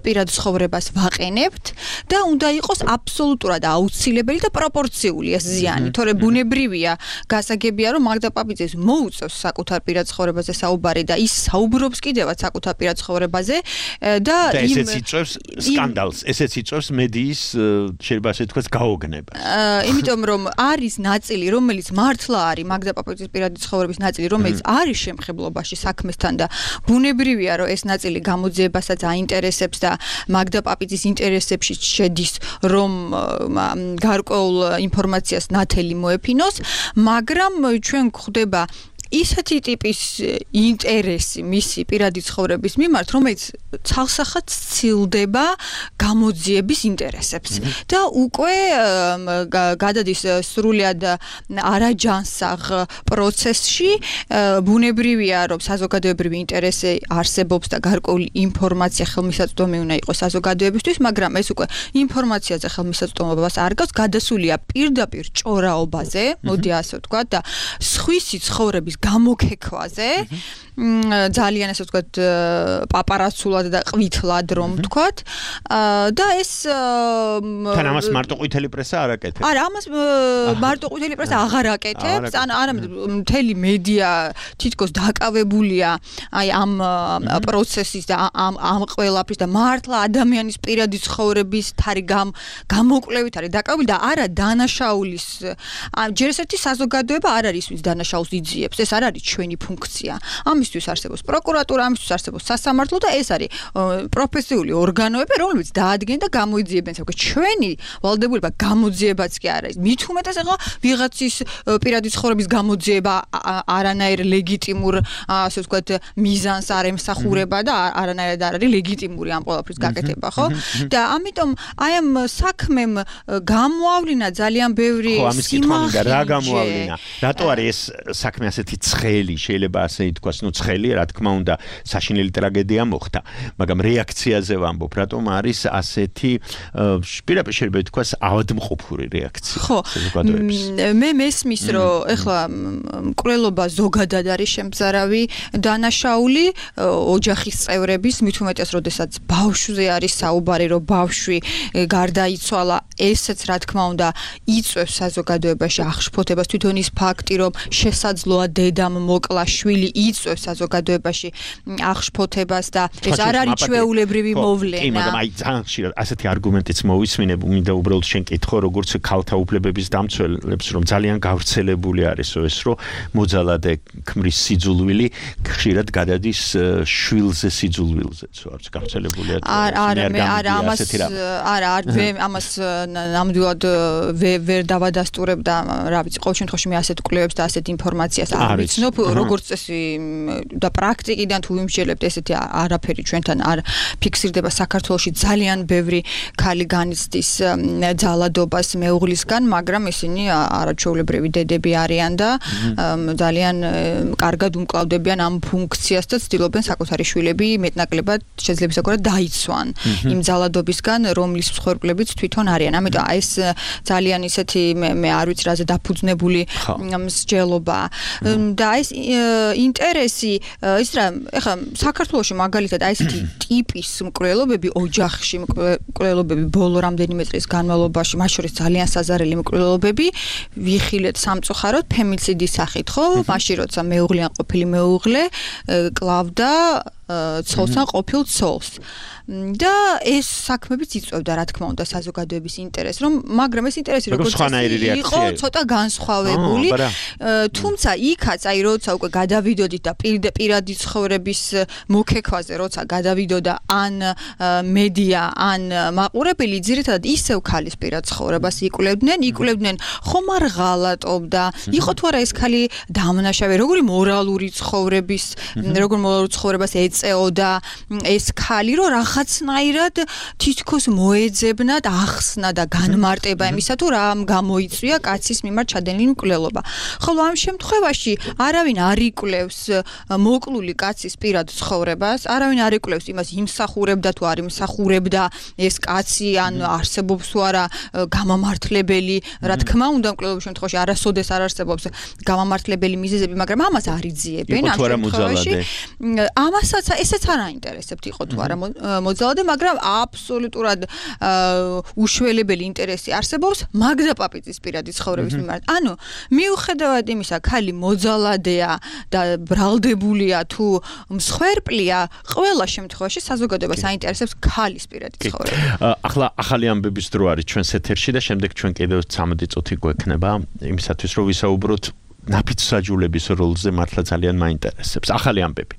პირად ცხოვრებას ვაყენებთ და უნდა იყოს აბსოლუტურად აუცილებელი და პროპორციული ეს ზიანი. თორე ბუნებრივია, გასაგებია რომ მაგდა პაპიძეს მოუწევს საკუთარ პირად ცხოვრებაზე საუბარი და ის საუბრობს კიდევაც საკუთარ პირად ცხოვრებაზე და იმ ესეც იწვევს სკანდალს, ესეც იწვევს მედიის შეიძლება ასე თქვას გაოგნებას. იმიტომ რომ არის ნაწილი, რომელიც მართლა არის მაგდა პაპიძის პირადი ცხოვრების ნაწილი, რომელიც არის შემხებლობაში საქმესთან და ბუნებრივია რომ ეს ნაწილი გამოძიებასაც აინტერესებს და მაგდა პაპიძის ინტერესებში შედის რომ გარკვეულ ინფორმაციას ნათელი მოეფინოს, მაგრამ ჩვენ გვხვდება ისეთი ტიპის ინტერესი მისი პირადი ცხოვრების მიმართ, რომელიც ცალსახად სცილდება გამოძიების ინტერესებს და უკვე გადადის სრულად არაჯანსაღ პროცესში. ბუნებრივია, რომ საზოგადოებრივი ინტერესი არსებობს და გარკვეული ინფორმაცია ხელმისაწვდომი უნდა იყოს საზოგადოებისთვის, მაგრამ ეს უკვე ინფორმაციაზე ხელმისაწვდომობას არ გავს, გადასულია პირდაპირ ჭორაობაზე, მოდი ასე ვთქვათ და სხვისი ცხოვრების გამოგექვაზე, ძალიან ასე ვთქვათ, პაპარაცულად და ყვითლად რომ ვთქვათ და ეს თან ამას მარტო ყვითელი პრესა არ აკეთებს. არა, ამას მარტო ყვითელი პრესა აღარ აკეთებს, ან არამედ მთელი მედია თითქოს დაკავებულია აი ამ პროცესის და ამ ამ ყველაფრის და მართლა ადამიანის პირადი ცხოვრების თარი გამოკვლევით არის დაკავებული და არა დანაშაულის. ჯერ ერთი საზოგადოება არ არის ვის დანაშაულს იძიებს, ეს არ არის ჩვენი ფუნქცია. ამისთვის არსებობს პროკურატურა, ამისთვის არსებობს სასამართლო და ეს არის პროფესიული ორგანოები, რომლებიც დაადგენენ და გამოიძიებენ საკუთარ ჩვენი ვალდებულება გამოძიებაც კი არა. მით უმეტეს ახლა ვიღაცის პირადი ცხოვრების გამოძიება არანაირ ლეგიტიმურ, ასე ვთქვათ, მიზანს არ ემსახურება და არანაირად არ არის ლეგიტიმური ამ ყველაფრის გაკეთება, ხო? და ამიტომ აი ამ საქმემ გამოავლინა ძალიან ბევრი სიმახინჯე. რა გამოავლინა? რატო არის ეს საქმე ასეთი ცხელი, შეიძლება ასე ითქვას, ну ცხელი, რა თქმა უნდა, საშინელი ტრაგედია მოხდა, მაგრამ რეაქციაზე ვამბობ, რატომ არის ასეთი პირდაპირ შეიძლება ითქვას ავადმყოფური რეაქცია საზოგადოების. მე მესმის, რომ ეხლა მკვლელობა ზოგადად არის შემზარავი დანაშაული ოჯახის წევრების, მით უმეტეს, როდესაც ბავშვზე არის საუბარი, რომ ბავშვი გარდაიცვალა, ესეც რა თქმა უნდა იწვევს საზოგადოებაში აღშფოთებას, თვითონ ის ფაქტი, რომ შესაძლოა დედამ მოკლა შვილი იწვევს საზოგადოებაში აღშფოთებას და ეს არ არის ჩვეულებრივი მოვლენა. კი, მაგრამ აი ძალიან ხშირად ასეთი არგუმენტიც მოვისმინებ, მინდა უბრალოდ შენ კითხო, როგორც ქალთა უფლებების დამცველებს, რომ ძალიან გავრცელებული არისო ეს, რომ მოძალადე ქმრის სიძულვილი ხშირად გადადის შვილზე სიძულვილზეც, არც გავრცელებულია. არა, მე არა ამას არა, არ ამას ნამდვილად ვერ დავადასტურებ და რა ვიცი, ყოველ შემთხვევაში მე ასეთ კვლევებს და ასეთ ინფორმაციას არ ვიცნობ, როგორც წესი და პრაქტიკიდან თუ ვიმსჯელებთ, ესეთი არაფერი ჩვენთან არ ფიქსირდება. საქართველოში ძალიან ბევრი ქალი განიცდის ძალადობას მეუღლისგან, მაგრამ ისინი არაჩვეულებრივი დედები არიან და ძალიან კარგად უმკლავდებიან ამ ფუნქციას და ცდილობენ საკუთარი შვილები მეტნაკლებად შეძლებისგან დაიცვან იმ ძალადობისგან, რომლის მსხვერპლებიც თვითონ არიან. ამიტომ ეს ძალიან ისეთი მე არ ვიცი რაზე დაფუძნებული მსჯელობა და ეს ინტერესი ის რა ეხლა საქართველოში მაგალითად აი ესეთი ტიპის მკვლელობები ოჯახში მკვლელობები ბოლო რამდენიმე წლის განმავლობაში მათ შორის ძალიან საზარელი მკვლელობები ვიხილეთ სამწუხაროდ ფემიციდის სახით, ხო? მაშინ როცა მეუღლე ან ყოფილი მეუღლე კლავდა ცოლს ან ყოფილ ცოლს. და ეს საქმეებიც იწვევდა რა თქმა უნდა საზოგადოების ინტერესს, რომ მაგრამ ეს ინტერესი როგორც იყო ცოტა განსხვავებული, თუმცა იქაც აი როცა უკვე გადავიდოდით და პირადი ცხოვრების მოგექვაზე როცა გადავიდოდა ან მედია ან მაყურებელი, ძირითადად ისევ ქალის პირად ცხოვრებას იკვლევდნენ, იკვლევდნენ ხომ არ ღალატობდა, იყო თუ არა ეს ქალი დამნაშავე, როგორი მორალური ცხოვრების, როგორ მორალურ ცხოვრებას ეწეოდა ეს ქალი, რომ რაღაცნაირად თითქოს მოეძებნა და ახსნა და განმარტება იმისა, თუ რა გამოიწვია კაცის მიმართ ჩადენილი მკვლელობა. ხოლო ამ შემთხვევაში არავინ არ იკვლევს მოკლული კაცის პირად ცხოვრებას, არავინ არ იკვლევს იმას, იმსახურებდა თუ არ იმსახურებდა ეს კაცი, ან არსებობს თუ არა გამამართლებელი, რა თქმა უნდა, მკვლელობის შემთხვევაში არასოდეს არ არსებობს გამამართლებელი მიზეზები, მაგრამ ამას არ იძიებენ ამ შემთხვევაში. ამასაც ესეც არ აინტერესებთ იყო თუ არა მოძალადე, მაგრამ აბსოლუტურად უშველებელი ინტერესი არსებობს მაგდა პაპიძის პირადი ცხოვრების მიმართ. ანუ მიუხედავად იმისა, ქალი მოძალადეა და ბრალდებულია თუ მსხვერპლია, ყველა შემთხვევაში საზოგადოებას აინტერესებს ქალის პირადი ცხოვრება. ახლა ახალი ამბების დრო არის ჩვენს ეთერში და შემდეგ ჩვენ კიდევ ცამეტი წუთი გვექნება იმისათვის, რომ ვისაუბროთ ნაფიცსაჯულების როლზე, მართლა ძალიან მაინტერესებს. ახალი ამბები.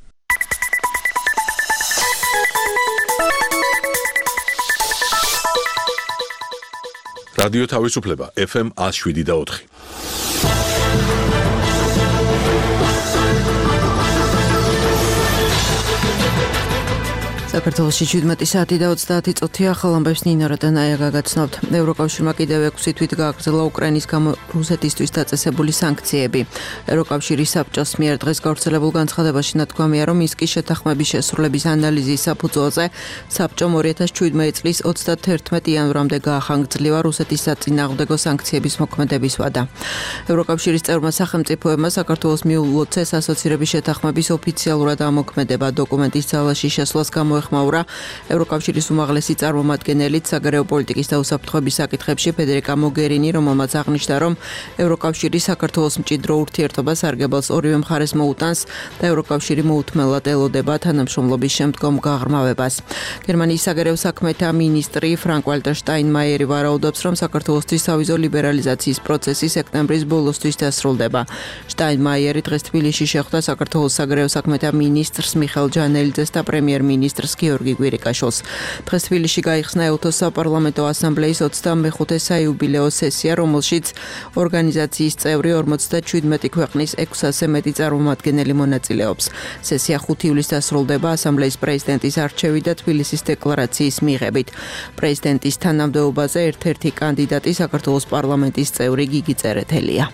რადიო თავისუფლება ეფ ემ one oh seven და four. საქართველოში შვიდმეტი საათი და ოცდაათი წუთი ახალ ამბებს ნინო რატანაია გაგაცნობთ. ევროკავშირმა კიდევ ექვსი თვით გააგრძელა უკრაინის გამო რუსეთისთვის დაწესებული სანქციები. ევროკავშირის საბჭოს მიერ დღეს გავრცელებულ განცხადებაში ნათქვამია, რომ მინსკის შეთანხმების შესრულების ანალიზის საფუძველზე საბჭომ two thousand seventeen წლის ოცდათერთმეტი იანვრამდე გაახანგრძლივა რუსეთის საწინააღმდეგო სანქციების მოქმედების ვადა. ევროკავშირის წევრმა სახელმწიფოებმა საქართველოს მიულოცეს ასოცირების შეთანხმების ოფიციალურად ამოქმედება. დოკუმენტის ძალაში შესვლას გამოეხმაურა ევროკავშირის უმაღლესი წარმომადგენელი საგარეო პოლიტიკის და უსაფრთხოების საკითხებში ფედერიკა მოგერინი, რომელმაც აღნიშნა, რომ ევროკავშირი საქართველოს მჭიდრო ურთიერთობას სარგებელს ორივე მხარეს მოუტანს და ევროკავშირი მოუთმელად ელოდება თანამშრომლობის შემდგომ გაღრმავებას. გერმანიის საგარეო საქმეთა მინისტრი ფრანკ-ვალტერ შტაინმაიერი ვარაუდობს, რომ საქართველოსთვის სავიზო ლიბერალიზაციის პროცესი სექტემბრის ბოლოსთვის დასრულდება. შტაინმაიერი დღეს თბილისში შეხვდა საქართველოს საგარეო საქმეთა მინისტრს მიხეილ ჯანელიძეს და პრემიერ-მინისტრს გიორგი კვირიკაშვილს. დღეს თბილისში გაიხსნა ე-უთოს საპარლამენტო ასამბლეის ოცდამეხუთე საიუბილეო სესია, რომელშიც ორგანიზაციის წევრი ორმოცდაჩვიდმეტი ქვეყნის ექვსასზე მეტი წარმომადგენელი მონაწილეობს. სესია ხუთი ივლისს დასრულდება ასამბლეის პრეზიდენტის არჩევით და თბილისის დეკლარაციის მიღებით. პრეზიდენტის თანამდებობაზე ერთ-ერთი კანდიდატი საქართველოს პარლამენტის წევრი გიგი წერეთელია.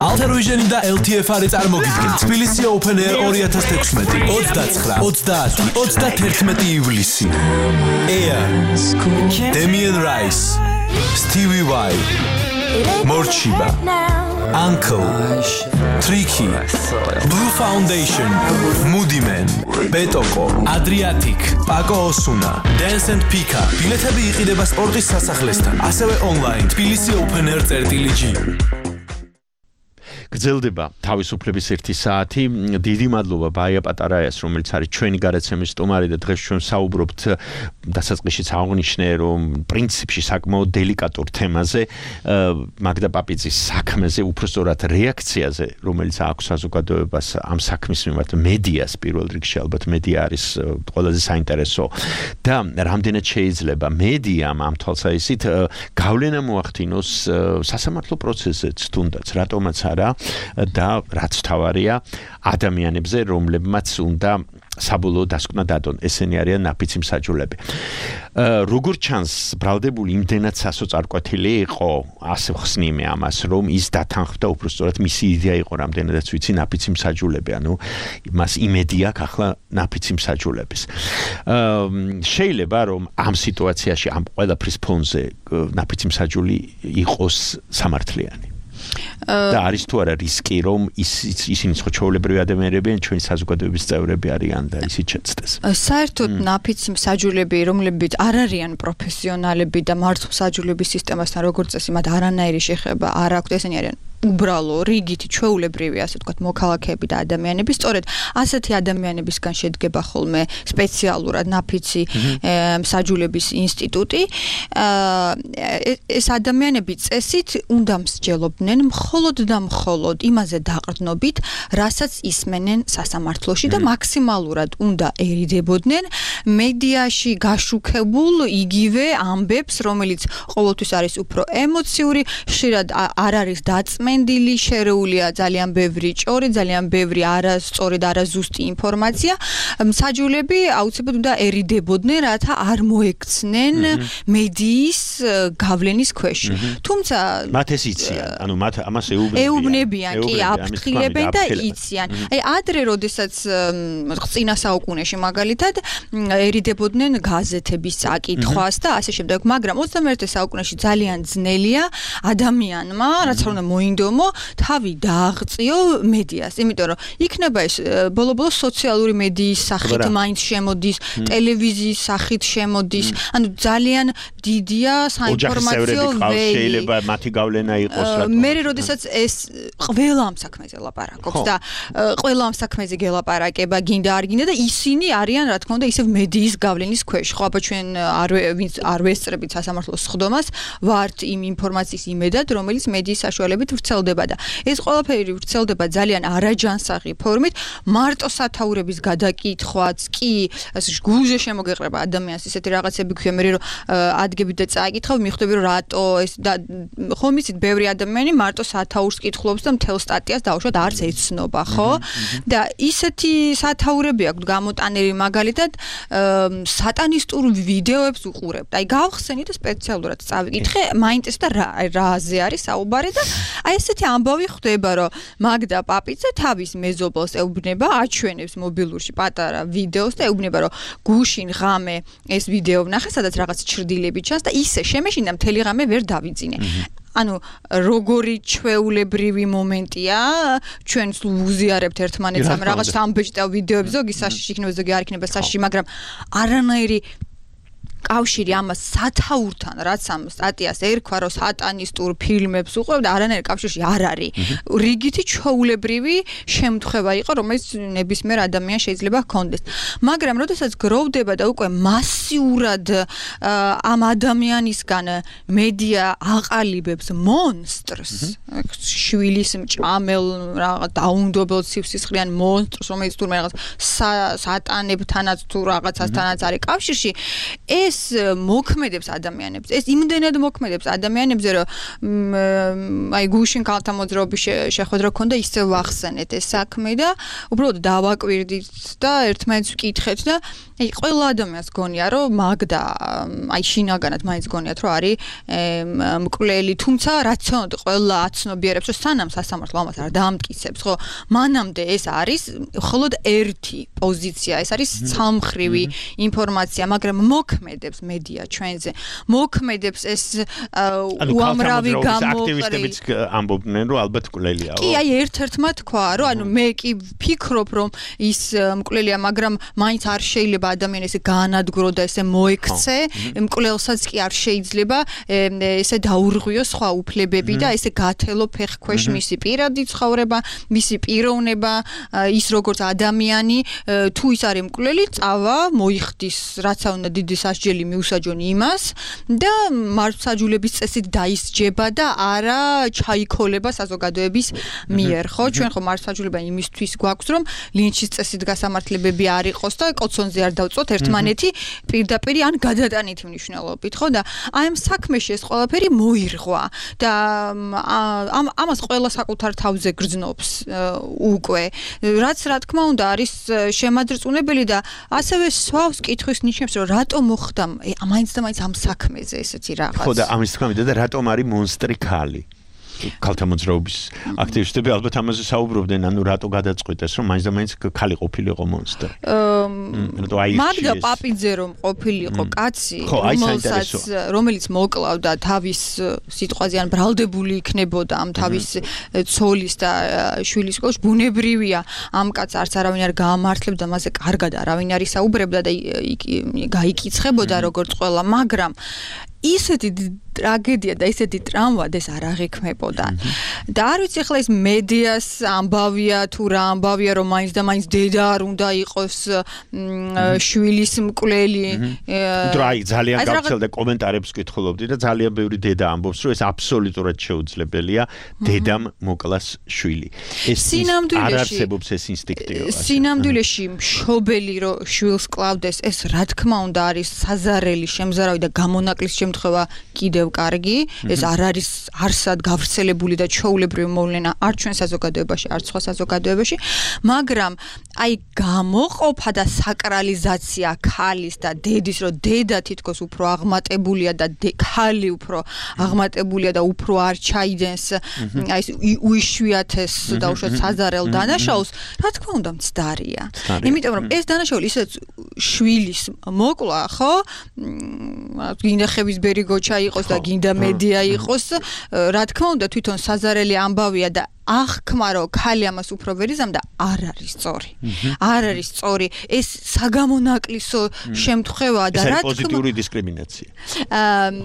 ალთერვიჟენი და ელ თი ეფ არის წარმოგიდგენ თბილისი Open Air two thousand sixteen ოცდაცხრა, ოცდაათი, ოცდათერთმეტი ივლისი. Air, Damien Rice, Stevie Vai, Morchiba, Uncle, Tricky, Blue Foundation, Moody Man, Betoko, Adriatic, Paco Osuna, Dance and Pika. ბილეთები იყიდება სპორტის სასახლესთან, ასევე online თბილისი Open Air წერტილი-ჯი. გრძელდება თავისუფლების ერთი საათი. დიდი მადლობა ბაია პატარაიას, რომელიც არის ჩვენი გარაცემის სტუმარი და დღეს ჩვენ საუბრობთ დასაწყისშიც აღნიშნე, რომ პრინციპში საკმაოდ დელიკატურ თემაზე, მაგდა პაპიძის საქმეზე, უბრალოდ რეაქციაზე, რომელიც აქვს საზოგადოებას ამ საქმის მიმართ, მედიას პირველ რიგში, ალბათ მედია არის ყველაზე საინტერესო და რამდენად შეიძლება მედიამ ამ თვალსაზრისით გავლენა მოახდინოს სასამართლო პროცესზეც, თუნდაც რატომაც არა და რაც თავარია ადამიანებზე, რომლებმაც უნდა საბოლოო დასკვნა დადონ. ესენი არიან ნაფიცი მსაჯულები. როგორც ჩანს, ბრალდებული იმდენად სასოწარკვეთილი იყო, ასე ხსნიმე ამას, რომ ის დათანხმდა უბრალოდ მისი იდეა იყო, რამდენადაც ვიცი, ნაფიცი მსაჯულები, ანუ მას იმედი აქვს ახლა ნაფიცი მსაჯულების. შეიძლება რომ ამ სიტუაციაში ამ ყველაფრის ფონზე ნაფიცი მსაჯული იყოს სამართლიანი. და არის თუ არა რისკი, რომ ის ისინი ხო ჩვეულებრივი ადამიანები ან ჩვენი საზოგადოების წევრები არიან და ისიც შეცდეს. საერთოდ ნაფიცი მსაჯულები, რომლებიც არ არიან პროფესიონალები და მართლმსაჯულების სისტემასთან როგორც წესი მათ არანაირი შეხება არ აქვთ, ესენი არიან უბრალო რიგითი ჩვეულებრივი ასე ვთქვათ მოქალაქეები და ადამიანები სწორედ ასეთი ადამიანებისგან შედგება ხოლმე სპეციალურად ნაფიცი მსაჯულების ინსტიტუტი ეს ადამიანები წესით უნდა მსჯელობდნენ მხოლოდ და მხოლოდ იმაზე დაყრდნობით რასაც ისმენენ სასამართლოში და მაქსიმალურად უნდა ერიდებოდნენ მედიაში გაშუქებულ იგივე ამბებს რომელიც ყოველთვის არის უფრო ემოციური ხშირად არ არის დაწმენდილი შერეულია ძალიან ბევრი ჭორი ძალიან ბევრი არასწორი და არაზუსტი ინფორმაცია მსაჯულები აუცილებლად უნდა ერიდებოდნენ რათა არ მოექცნენ მედიის გავლენის ქვეშ თუმცა მათ ეს იციან ანუ მათ ამას ეუბნებიან ეუბნებიან კი აფრთხილებენ და იციან აი ადრე როდესაც წინა საუკუნეში მაგალითად ერიდებოდნენ გაზეთების წაკითხვას და ასე შემდეგ მაგრამ ოცდამეერთე საუკუნეში ძალიან ძნელია ადამიანმა რაც არ უნდა მოინდომო თავი დააღწიო მედიას იმიტომ რომ იქნება ეს ბოლო-ბოლო სოციალური მედიის სახით მაინც შემოდის ტელევიზიის სახით შემოდის ანუ ძალიან დიდია საინფორმაციო ვეი შეიძლება მათი გავლენა იყოს რატომ მე როდესაც ეს ყველა ამ საქმეზე ლაპარაკობს და ყველა ამ საქმეზე გელაპარაკება გინდა არ გინდა და ისინი არიან რა თქმა უნდა ისევ მედიის გავლენის ქვეშ ხო აბა ჩვენ არ არ ვესწრებით სასამართლოს სხდომას ვართ იმ ინფორმაციის იმედად რომელიც მედიის საშუალებით ვრცელდება და ეს ყველაფერი ვრცელდება ძალიან არაჯანსაღი ფორმით მარტო სათაურების გადაკითხვაც კი გულზე შემოგეყრება ადამიანს ისეთი რაღაცები ქვია მე რომ ადგებით და წააკითხავ მიხვდები რომ რატო ეს ხომ იცით ბევრი ადამიანი მარტო სათაურს კითხულობს და მთელ სტატიას დაუშვათ არც ეცნობა ხო და ისეთი სათაურები აქვს გამოტანილი მაგალითად სატანისტურ ვიდეოებს უყურებთ აი გავხსენით და სპეციალურად წავიკითხე მაინტერესდა რა რაზე არის საუბარი და აი ესეთი ამბავი ხდება რომ მაგდა პაპიძე თავის მეზობელს ეუბნება აჩვენებს მობილურში პატარა ვიდეოს და ეუბნება რომ გუშინ ღამე ეს ვიდეო ვნახე სადაც რაღაც ჩრდილები ჩანს და ისე შემეშინდა მთელი ღამე ვერ დავიძინე ანუ როგორი ჩვეულებრივი მომენტია ჩვენ ვუზიარებთ ერთმანეთს ამ რაღაც ამბეჭდავ ვიდეოებს ზოგი საშიში იქნება ზოგი არ იქნება საშიში მაგრამ არანაირი კავშირი ამას სათაურთან რაც ამ სტატიას ერქვა რომ სატანისტურ ფილმებს უყურებდა არანაირი კავშირი არ არის რიგითი ჩვეულებრივი შემთხვევა იყო რომელიც ნებისმიერ ადამიანს შეიძლება ჰქონდეს მაგრამ როდესაც გროვდება და უკვე მასიურად ამ ადამიანისგან მედია აყალიბებს მონსტრს შვილის მჭამელ რაღაც დაუნდობელ სივსისხლიან მონსტრს რომელიც თურმე რაღაც სატანებთანაც თუ რაღაცასთანაც არის კავშირში ეს ეს მოქმედებს ადამიანებს ეს იმდენად მოქმედებს ადამიანებზე რომ აი გუშინ ქალთა მოძრაობის შეხვედრა ქონდა ისე ვახსენეთ ეს საქმე და უბრალოდ დავაკვირდით და ერთმანეთს ვკითხეთ და აი ყველა ადამიანს გონია რომ მაგდა აი შინაგანად მაინც გონიათ რომ არის მკვლელი თუმცა რაციონად ყველა აცნობიერებს რომ სანამ სასამართლო ამას არ დაამტკიცებს ხო მანამდე ეს არის მხოლოდ ერთი პოზიცია ეს არის ცალმხრივი ინფორმაცია მაგრამ მოქმედებს მედია ჩვენზე მოქმედებს ეს უამრავი აქტივისტებიც ამბობდნენ რომ ალბათ მკვლელია კი აი ერთ-ერთმა თქვა რომ ანუ მე კი ვფიქრობ რომ ის მკვლელია მაგრამ მაინც არ შეიძლება ადამიანს ესე გაანადგურო და ესე მოექცე მკვლელსაც კი არ შეიძლება ესე დაურღვიო სხვა უფლებები და ესე გათელო ფეხქვეშ მისი პირადი ცხოვრება მისი პიროვნება ის როგორც ადამიანი თუ ის არის მკვლელი წავა მოიხდის რაც უნდა დიდი სასჯელი მიუსაჯონ იმას და მართლმსაჯულების წესით დაისჯება და არა ჩაიქოლება საზოგადოების მიერ ხო ჩვენ ხო მართლმსაჯულება იმისთვის გვაქვს რომ ლინჩის წესით გასამართლებები არ იყოს და კოცონზე არ დავწოთ ერთმანეთი პირდაპირ ან გადატანითი მნიშვნელობით ხო და აი ამ საქმეში ეს ყველაფერი მოირღვა და ამ ამას ყველა საკუთარ თავზე გრძნობს უკვე რაც რა თქმა უნდა არის შემაძრწუნებელი და ასევე სვავს კითხვის ნიშნებს რომ რატომ მოხდა მაინც და მაინც ამ საქმეზე ესეთი რაღაც ხო და ამის თქმა მინდა და რატომ არის მონსტრი ქალი ქალთა მოძრაობის აქტივისტები ალბათ ამაზე საუბრობდნენ ანუ რატო გადაწყვიტეს რომ მაინც და მაინც ქალი ყოფილიყო მონსტრი მაგდა პაპიძე რომ ყოფილიყო კაცი რომელსაც რომელიც მოკლავდა თავის სიტყვაზე ან ბრალდებული იქნებოდა ამ თავის ცოლის და შვილის სკოლაში ბუნებრივია ამ კაცს არც არავინ არ გაამართლებდა მასზე კარგად არავინ არ ისაუბრებდა და გაიკიცხებოდა როგორც ყველა მაგრამ ისეთი ტრაგედია და ისეთი ტრავმა ეს არ აღიქმებოდა. და არ ვიცი ახლა ეს მედიას ამბავია თუ რა ამბავია რომ მაინც და მაინც დედა არ უნდა იყოს შვილის მკვლელი. დრაი ძალიან გავრცელდა კომენტარებს ვკითხულობდი და ძალიან ბევრი დედა ამბობს რომ ეს აბსოლუტურად შეუძლებელია დედამ მოკლას შვილი. ეს არ არსებობს ეს ინსტინქტი. სინამდვილეში მშობელი რომ შვილს კლავდეს ეს რა თქმა უნდა არის საზარელი შემზარავი და გამონაკლის შემთხვევა კიდევ კარგი. ეს არ არის არსად გავრცელებული და ჩვეულებრივი მოვლენა არ ჩვენ საზოგადოებაში, არ სხვა საზოგადოებაში, მაგრამ აი გამოყოფა და საკრალიზაცია ქალის და დედის, რომ დედა თითქოს უფრო აღმატებულია და ქალი უფრო აღმატებულია და უფრო არ ჩაიდენს აი ეს უიშვიათეს და უშუალოდ საზარელ დანაშაულს, რა თქმა უნდა მცდარია. იმიტომ რომ ეს დანაშაული ისე შვილის მოკლა, ხო? გინდა ხევისბერი გოჩა იყოს და გინდა მედია იყოს, რა თქმა უნდა თვითონ საზარელი ამბავია და აღქმა რომ ქალი ამას უფრო ვერ იზამდა არ არის სწორი. არ არის სწორი. ეს საგამონაკლისო შემთხვევაა და რა თქმა უნდა პოზიტიური დისკრიმინაცია.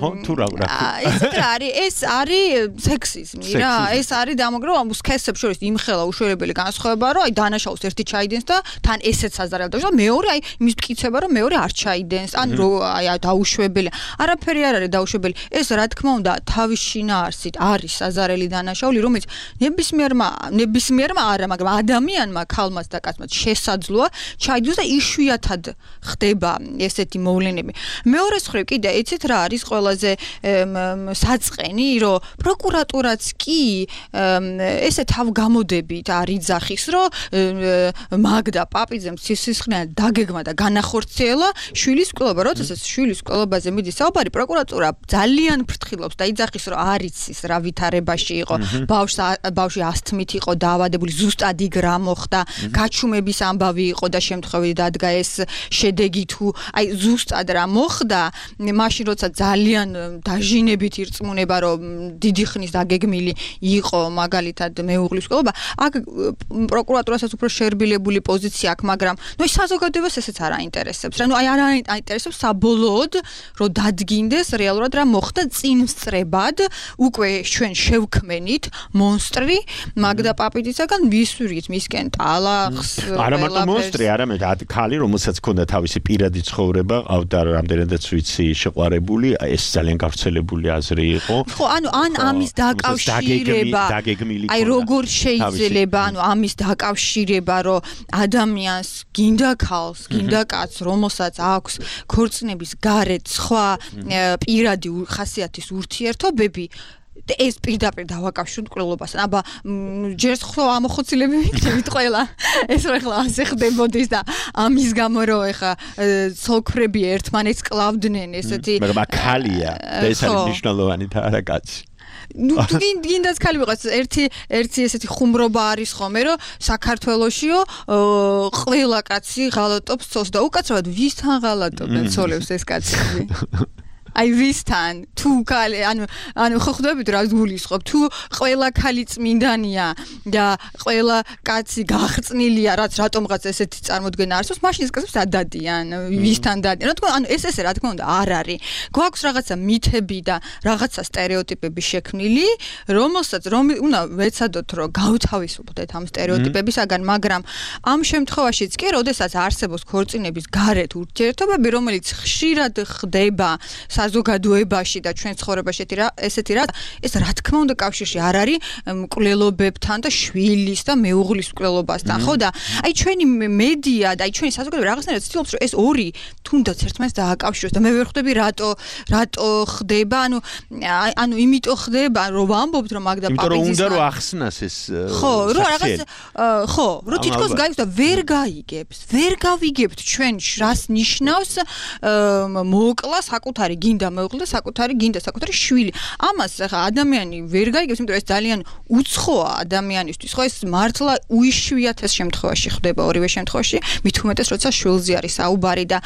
ხო თუ რა რა. ეს არის ეს არის სექსიზმი რა. ეს არის დამოგროვა სქესებს შორის იმხელა უშუალებელი განსხვავება რომ აი დანაშაულს ერთი ჩაიდენს და თან ესეც საზარელ და მეორე აი იმის მტკიცება რომ მეორე არ ჩაიდენს. ან რო აი დაუშვებელია. არაფერი არ არის დაუშვებელი. ეს რა თქმა უნდა თავის შინაარსით არის საზარელი დანაშაული რომელიც ნების ნებისმიერმა ნებისმიერმა არა, მაგრამ ადამიანმა, ქალმაც და კაცმაც შესაძლოა ჩაიდოს და იშვიათად ხდება ესეთი მოვლენები. მეორე მხრივ კიდე იცით რა არის ყველაზე საწყენი, რომ პროკურატურაც კი ესე თავგამოდებით არ იძახის, რომ მაგდა პაპიძემ სისხლიან დაგეგმა და განახორციელა შვილის კვლევა, როდესაც შვილის კვლევაზე მიდის საუბარი, პროკურატურა ძალიან ფრთხილობს და იძახის, რომ არ იცის რა ვითარებაში იყო, ბავშვს ბავშვი ასთმით იყო დაავადებული, ზუსტად იქ რა მოხდა, გაჩუმების ამბავი იყო და შემთხვევით დადგა ეს შედეგი თუ აი ზუსტად რა მოხდა, მაშინ როცა ძალიან დაჟინებით ირწმუნება, რომ დიდი ხნის დაგეგმილი იყო მაგალითად მეუღლის კვლევა, აქ პროკურატურასაც უფრო შერბილებული პოზიცია აქვს, მაგრამ ნუ ის საზოგადოებას ესეც არ აინტერესებს. რა ნუ აი არ აინტერესებს საბოლოოდ, რომ დადგინდეს რეალურად რა მოხდა წინსწრებად, უკვე ჩვენ შევქმენით მონსტრი მაგდა პაპიდისაგან ვისურვით მისკენ ტალახს. არა მარტო მონსტრი, არამედ ქალი, რომელსაც ჰქონდა თავისი პირადი ცხოვრება, ყავდა რამდენადაც ვიცი შეყვარებული, ეს ძალიან გავრცელებული აზრი იყო. ხო, ანუ ან ამის დაკავშირება, აი როგორ შეიძლება, ანუ ამის დაკავშირება, რომ ადამიანს გინდა ქალს, გინდა კაცს, რომელსაც აქვს ქორწინების გარეთ სხვა პირადი ხასიათის ურთიერთობები, ეს პირდაპირ დავაკავშიროთ კვლევასთან. აბა ჯერს ხო ამოხოცილები ვიქნებით ყველა. ეს რა ხლა ასე ხდებოდეს და ამის გამო რომ ეხა ცოლქრები ერთმანეთს კლავდნენ ესეთი. მაგრამ აქალია და ეს არის მნიშვნელოვანი და არა კაცი. ნუ გინდაც ქალი ვიყოს ერთი ერთი ესეთი ხუმრობა არის ხოლმე რომ საქართველოშიო ყველა კაცი ღალატობს ცოლს და უკაცრავად ვისთან ღალატობენ ცოლებს ეს კაცები. აი ვისთან თუ ქალი ანუ ანუ ხო ხვდებით რა გულისხმობ თუ ყველა ქალი წმინდანია და ყველა კაცი გაღწნილია რაც რატომღაც ესეთი წარმოდგენა არსებობს მაშინ ეს კაცებს ადადიან ვისთან დადიან რა თქმა უნდა ანუ ეს ესე რა თქმა უნდა არ არის გვაქვს რაღაცა მითები და რაღაცა სტერეოტიპები შექმნილი რომელსაც რომ უნდა ვეცადოთ რომ გავთავისუფლდეთ ამ სტერეოტიპებისაგან მაგრამ ამ შემთხვევაშიც კი როდესაც არსებობს ქორწინების გარეთ ურთიერთობები რომელიც ხშირად ხდება საზოგადოებაში და ჩვენ ცხოვრებაში ესეთი რა ეს რა თქმა უნდა კავშირში არ არის მკვლელობებთან და შვილის და მეუღლის მკვლელობასთან ხო და აი ჩვენი მედია და აი ჩვენი საზოგადოება რაღაცნაირად ცდილობს რომ ეს ორი თუნდაც ერთმანეთს დააკავშიროს და მე ვერ ხვდები რატო რატო ხდება ანუ ანუ იმიტომ ხდება რომ ვამბობთ რომ მაგდა პაპიძის იმიტომ რომ უნდა რომ ახსნას ეს ხო რომ რაღაც ხო რომ თითქოს გაიგებს და ვერ გაიგებს ვერ გავიგებთ ჩვენ რას ნიშნავს მოკლა საკუთარი გინდა მეუღლე საკუთარი გინდა საკუთარი შვილი. ამას ხა ადამიანი ვერ გაიგებს, იმიტომ რომ ეს ძალიან უცხოა ადამიანისთვის. ხო ეს მართლა უიშვიათეს შემთხვევაში ხდება ორივე შემთხვევაში, მით უმეტეს როცა შვილზე არის საუბარი და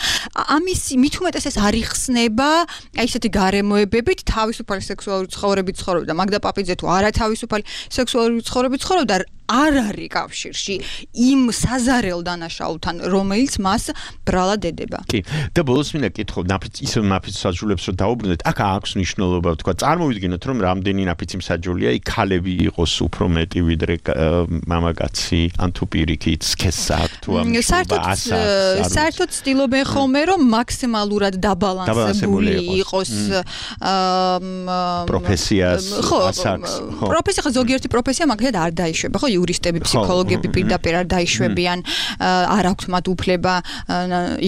ამის მით უმეტეს ეს არ იხსნება, აი ესეთი გარემოებებით თავისუფალი სექსუალური ცხოვრებით ცხოვრობდა. მაგდა პაპიძე თუ არა თავისუფალი სექსუალური ცხოვრებით ცხოვრობდა, არ არის კავშირში იმ საზარელ დანაშაულთან, რომელიც მას ბრალად ედება. კი, და ბოლოს მინდა კითხო, ნაფიც ისე ნაფიც საჯულებს რომ დაუბრუნდეთ, აქ აქვს მნიშვნელობა, თქვა, წარმოვიდგინოთ, რომ რამდენი ნაფიცი მსაჯულია, იქ ქალები იყოს უფრო მეტი ვიდრე მამაკაცი, ან თუ პირიქით სქესს აქვს თუ ამ საერთოდ ცდილობენ ხოლმე, რომ მაქსიმალურად დაბალანსებული იყოს პროფესიას, ასაკს, ხო. პროფესია ხო ზოგიერთი პროფესია მაგალითად არ დაიშვება, ხო, იურისტები, ფსიქოლოგები პირდაპირ არ დაიშვებიან, არ აქვთ მათ უფლება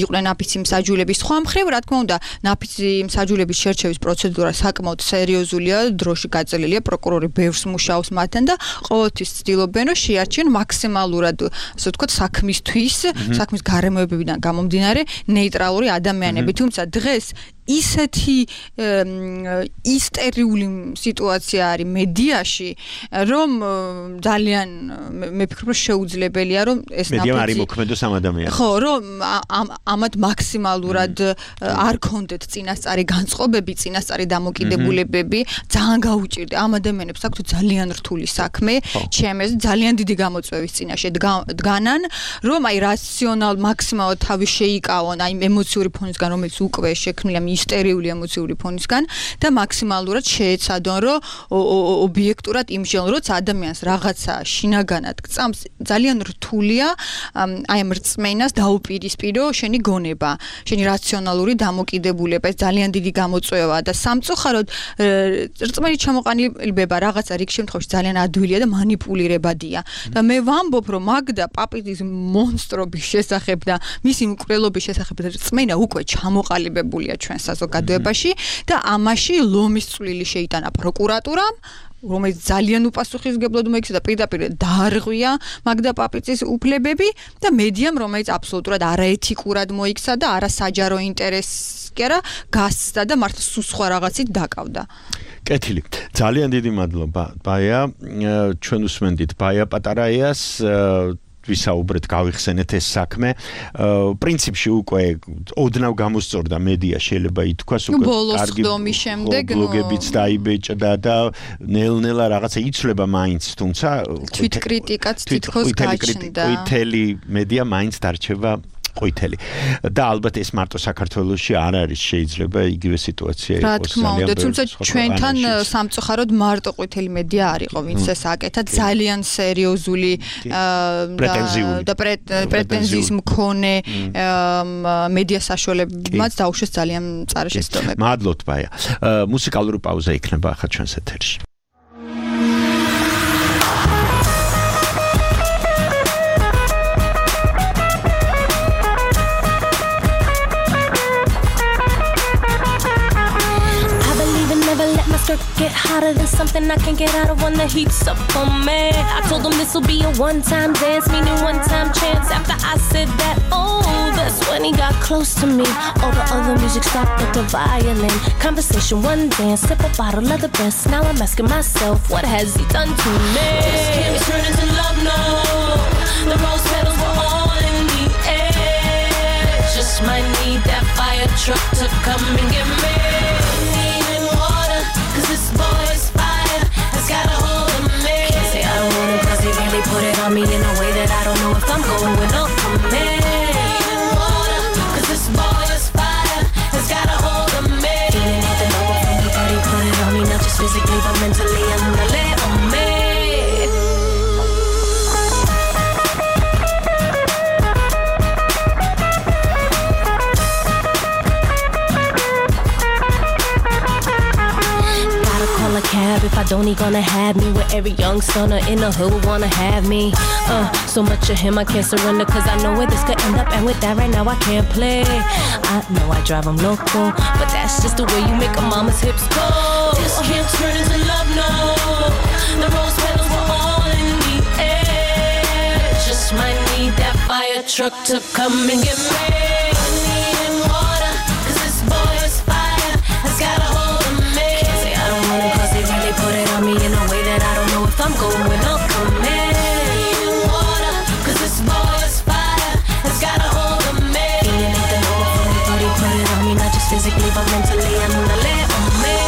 იყვნენ ნაფიცი მსაჯულები. სხვა მხრივ, რა თქმა უნდა, ნაფიცი მსაჯულების შერჩევის პროცედურა საკმაოდ სერიოზულია, დროში გაწელილია, პროკურორი ბევრს მუშაობს მათთან და ყოველთვის ცდილობენ, რომ შეარჩიონ მაქსიმალურად, ასე ვთქვათ, საქმისთვის, საქმის გარემოებებიდან გამომდინარე ნეიტრალური ადამიანები. თუმცა დღეს ისეთი ისტერიული სიტუაცია არის მედიაში, რომ ძალიან მე ვფიქრობ, რომ შეუძლებელია, რომ ეს ნაფიცი მედია არის მოქმედოს ამ ადამიანს. ხო, რომ ამათ მაქსიმალურად არ კონდეთ წინასწარი განწყობები, წინასწარი დამოკიდებულებები, ძალიან გაუჭირდა ამ ადამიანებს აქვთ ძალიან რთული საქმე, ჩემს ძალიან დიდი გამოწვევის წინაშე დგანან, რომ აი რაციონალ მაქსიმალურად თავი შეიკავონ აი ემოციური ფონისგან, რომელიც უკვე შექმნილია ისტერიული ემოციური ფონისგან და მაქსიმალურად შეეცადონ, რომ ობიექტურად იმჟელონ, როცა ადამიანს რაღაცა შინაგანად გწამს, ძალიან რთულია აი ამ რწმენას დაუპირისპირო შენი გონება, შენი რაციონალური დამოკიდებულება, ეს ძალიან დიდი გამოწვევაა და სამწუხაროდ რწმენით ჩამოყალიბება რაღაცა რიგ შემთხვევაში ძალიან ადვილია და манипуლირებადია. და მე ვამბობ, რომ მაგდა პაპიძის მონსტრობის შესახებ და მისი მკვლელობის შესახებ რწმენა უკვე ჩამოყალიბებულია ჩვენ საზოგადოებაში და ამაში ლომის წვლილი შეიტანა პროკურატურამ, რომელიც ძალიან უპასუხისმგებლოდ მოიქცა და პირდაპირ დაარღვია მაგდა პაპიძის უფლებები და მედიამ, რომელიც აბსოლუტურად არაეთიკურად მოიქცა და არასაჯარო ინტერესს კი არა გასცდა და მართლა სულ სხვა რაღაცით დაკავდა. კეთილი. ძალიან დიდი მადლობა. ბაია, ჩვენ უსმენდით ბაია პატარაიას ვისაუბრეთ, გავიხსენეთ ეს საქმე. პრინციპში უკვე ოდნავ გამოსწორდა მედია, შეიძლება ითქვას, უკვე კარგი ბლოგებიც დაიბეჭდა და ნელ-ნელა რაღაცა იცვლება მაინც, თუმცა თვითკრიტიკაც თითქოს გაჩნდა. ყვითელი მედია მაინც დარჩება ყვითელი. და ალბათ ეს მარტო საქართველოში არ არის, შეიძლება იგივე სიტუაცია იყოს. რა თქმა უნდა, თუმცა ჩვენთან სამწუხაროდ მარტო ყვითელი მედია არ იყო, ვინც ეს აკეთა, ძალიან სერიოზული და პრეტენზიის მქონე მედია საშუალებებმაც დაუშვეს ძალიან მწარე შეცდომები. მადლობთ, ბაია. მუსიკალური პაუზა იქნება ახლა ჩვენს ეთერში. Get hotter than something I can get out of when the heat's up on me. I told them this'll be a one-time dance, meaning one-time chance. After I said that, oh, that's when he got close to me. All the other music stopped but the violin. Conversation, one dance, sip a bottle of the best. Now I'm asking myself, what has he done to me? This can't be turned into love, no. The rose petals were all in the air. Just might need that fire truck to come and get me. Cause this boy's fire has got a hold of me. Can't say I don't want him cause he really put it on me in a way that I don't know if I'm going up from it. Cause this boy's fire has got a hold of me. Feeling nothing over from me, but he put it on me, not just physically but mentally. I'm gonna let on me. A cab if I don't, he gonna have me with every young stunner in the hood would wanna have me. Uh, so much of him I can't surrender cause I know where this could end up, and with that right now I can't play. I know I drive him loco, but that's just the way you make a mama's hips go. This can't turn into love, no. The rose petals were all in the air. Just might need that fire truck to come and get me. I need water cause this boy's fire has got a hold of me. Can't say I don't want him cause he really put it on me in a way that I don't know if I'm going up from it. Water cause this boy's fire has got a hold of me. Feeling nothing over from me, but he put it on me, not just physically but mentally. I'm gonna let on me.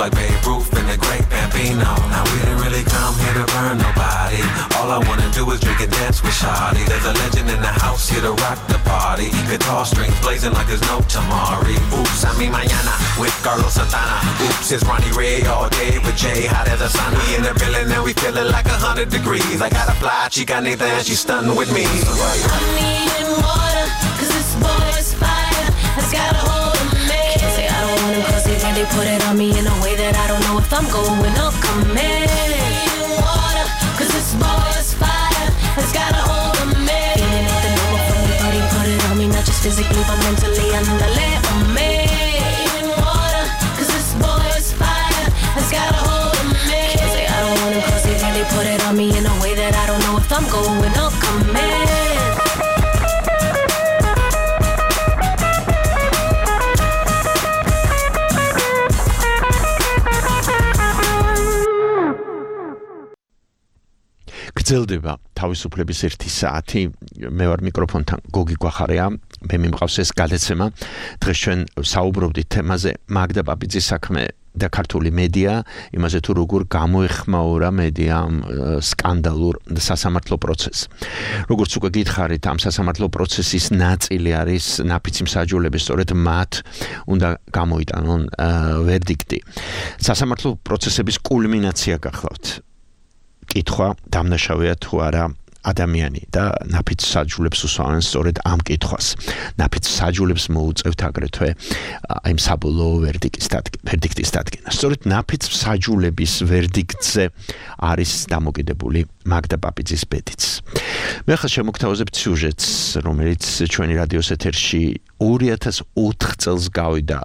like Babe Ruth and the great Bambino. Now we didn't really come here to burn nobody. All I wanna do is drink and dance with Shawty. There's a legend in the house here to rock the party. Guitar strings blazing like there's no tomorrow. Oops, I mean mañana with Carlos Santana. Oops, it's Ronnie Ray all day with Jay, hot as a sun. We in the building and we feeling like a hundred degrees. I got a fly chica Nathan and she's stunning with me. I need water, cause this boy is fire. Has got a hold of me. Can't say I don't want him cause he really put it on me in a way that I don't know if I'm going or coming. I need water, cause this boy is fire. Has got a hold of me. Feeling it the number from me, but he put it on me. Not just physically but mentally, andale on me. I need water, cause this boy is fire. Has got a hold of me. Can't say I don't want him cause he really put it on me in a way that I don't know if I'm going or coming. გრძელდება თავისუფლების ერთი საათი. მე ვარ მიკროფონთან გოგი გვახარია. მე მიმყავს ეს გადაცემა. დღეს ჩვენ საუბრობდით თემაზე მაგდა პაპიძის საქმე და ქართული მედია, იმაზე თუ როგორ გამოეხმაურა მედიამ სკანდალურ სასამართლო პროცესს. როგორც უკვე გითხარით, ამ სასამართლო პროცესის ნაწილი არის ნაფიცი მსაჯულები, სწორედ მათ უნდა გამოიტანონ ვერდიქტი. სასამართლო პროცესების კულმინაცია გახლავთ. კითხვა დამნაშავეა თუ არა ადამიანი და ნაფიც საჯულებს უსვამენ სწორედ ამ კითხვას. ნაფიც საჯულებს მოუწევთ აგრეთვე აი საბოლოო ვერდიქტის დადგენა. სწორედ ნაფიც საჯულების ვერდიქტზე არის დამოკიდებული მაგდა პაპიძის ბედიც. მე ახლა შემოგთავაზებ სიუჟეტს, რომელიც ჩვენი რადიოს ეთერში ორი ათას ოთხ წელს გავიდა.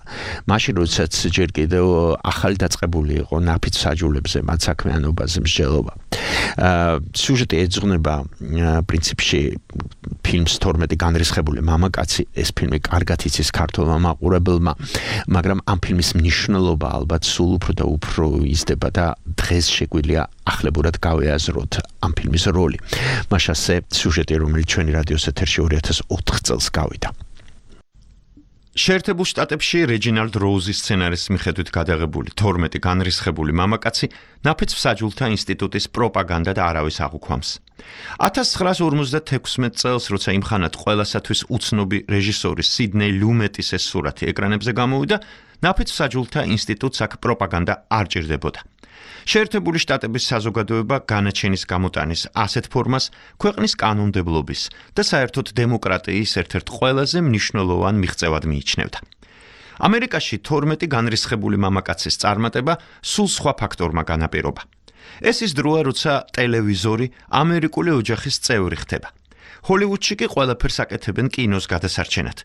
მაშინ როდესაც ჯერ კიდევ ახალი დაწყებული იყო ნაფიც საჯულებზე მათ საქმიანობაზე მსჯელობა. სიუჟეტი ეძღვნება პრინციპში ფილმს თორმეტი განრისხებული მამაკაცი. ეს ფილმი კარგად იცის ქართულმა მაყურებელმა, მაგრამ ამ ფილმის მნიშვნელობა ალბათ სულ უფრო და უფრო იზრდება და დღეს შეგვიძლია ახლებურად გავეაზროთ ამ ფილმის როლი. მაშასე სიუჟეტი, რომელიც ჩვენი რადიოს ეთერში ორი ათას ოთხ წელს გავიდა. შეერთებულ შტატებში რეჯინალდ როუზის სცენარის მიხედვით გადაღებული თორმეტი განრისხებული მამაკაცი ნაფიც მსაჯულთა ინსტიტუტის პროპაგანდა და არავის აღუქვამს. ათას ცხრაას ორმოცდათექვსმეტ წელს, როცა იმხანად ყველასათვის უცნობი რეჟისორი სიდნეი ლუმეტის ეს სურათი ეკრანებზე გამოვიდა, ნაფიც მსაჯულთა ინსტიტუტს აქ პროპაგანდა არ ჭირდებოდა. შეერთებული შტატების საზოგადოება განაჩენის გამოტანის ასეთ ფორმას ქვეყნის კანონმდებლობის და საერთოდ დემოკრატიის ერთ-ერთ ყველაზე მნიშვნელოვან მიღწევად მიიჩნევდა. ამერიკაში თორმეტი განრისხებული მამაკაცის წარმატება სულ სხვა ფაქტორმა განაპირობა. ეს ის დროა, როცა ტელევიზორი ამერიკული ოჯახის წევრი ხდება. ჰოლივუდში კი ყველაფერს აკეთებენ კინოს გადასარჩენად.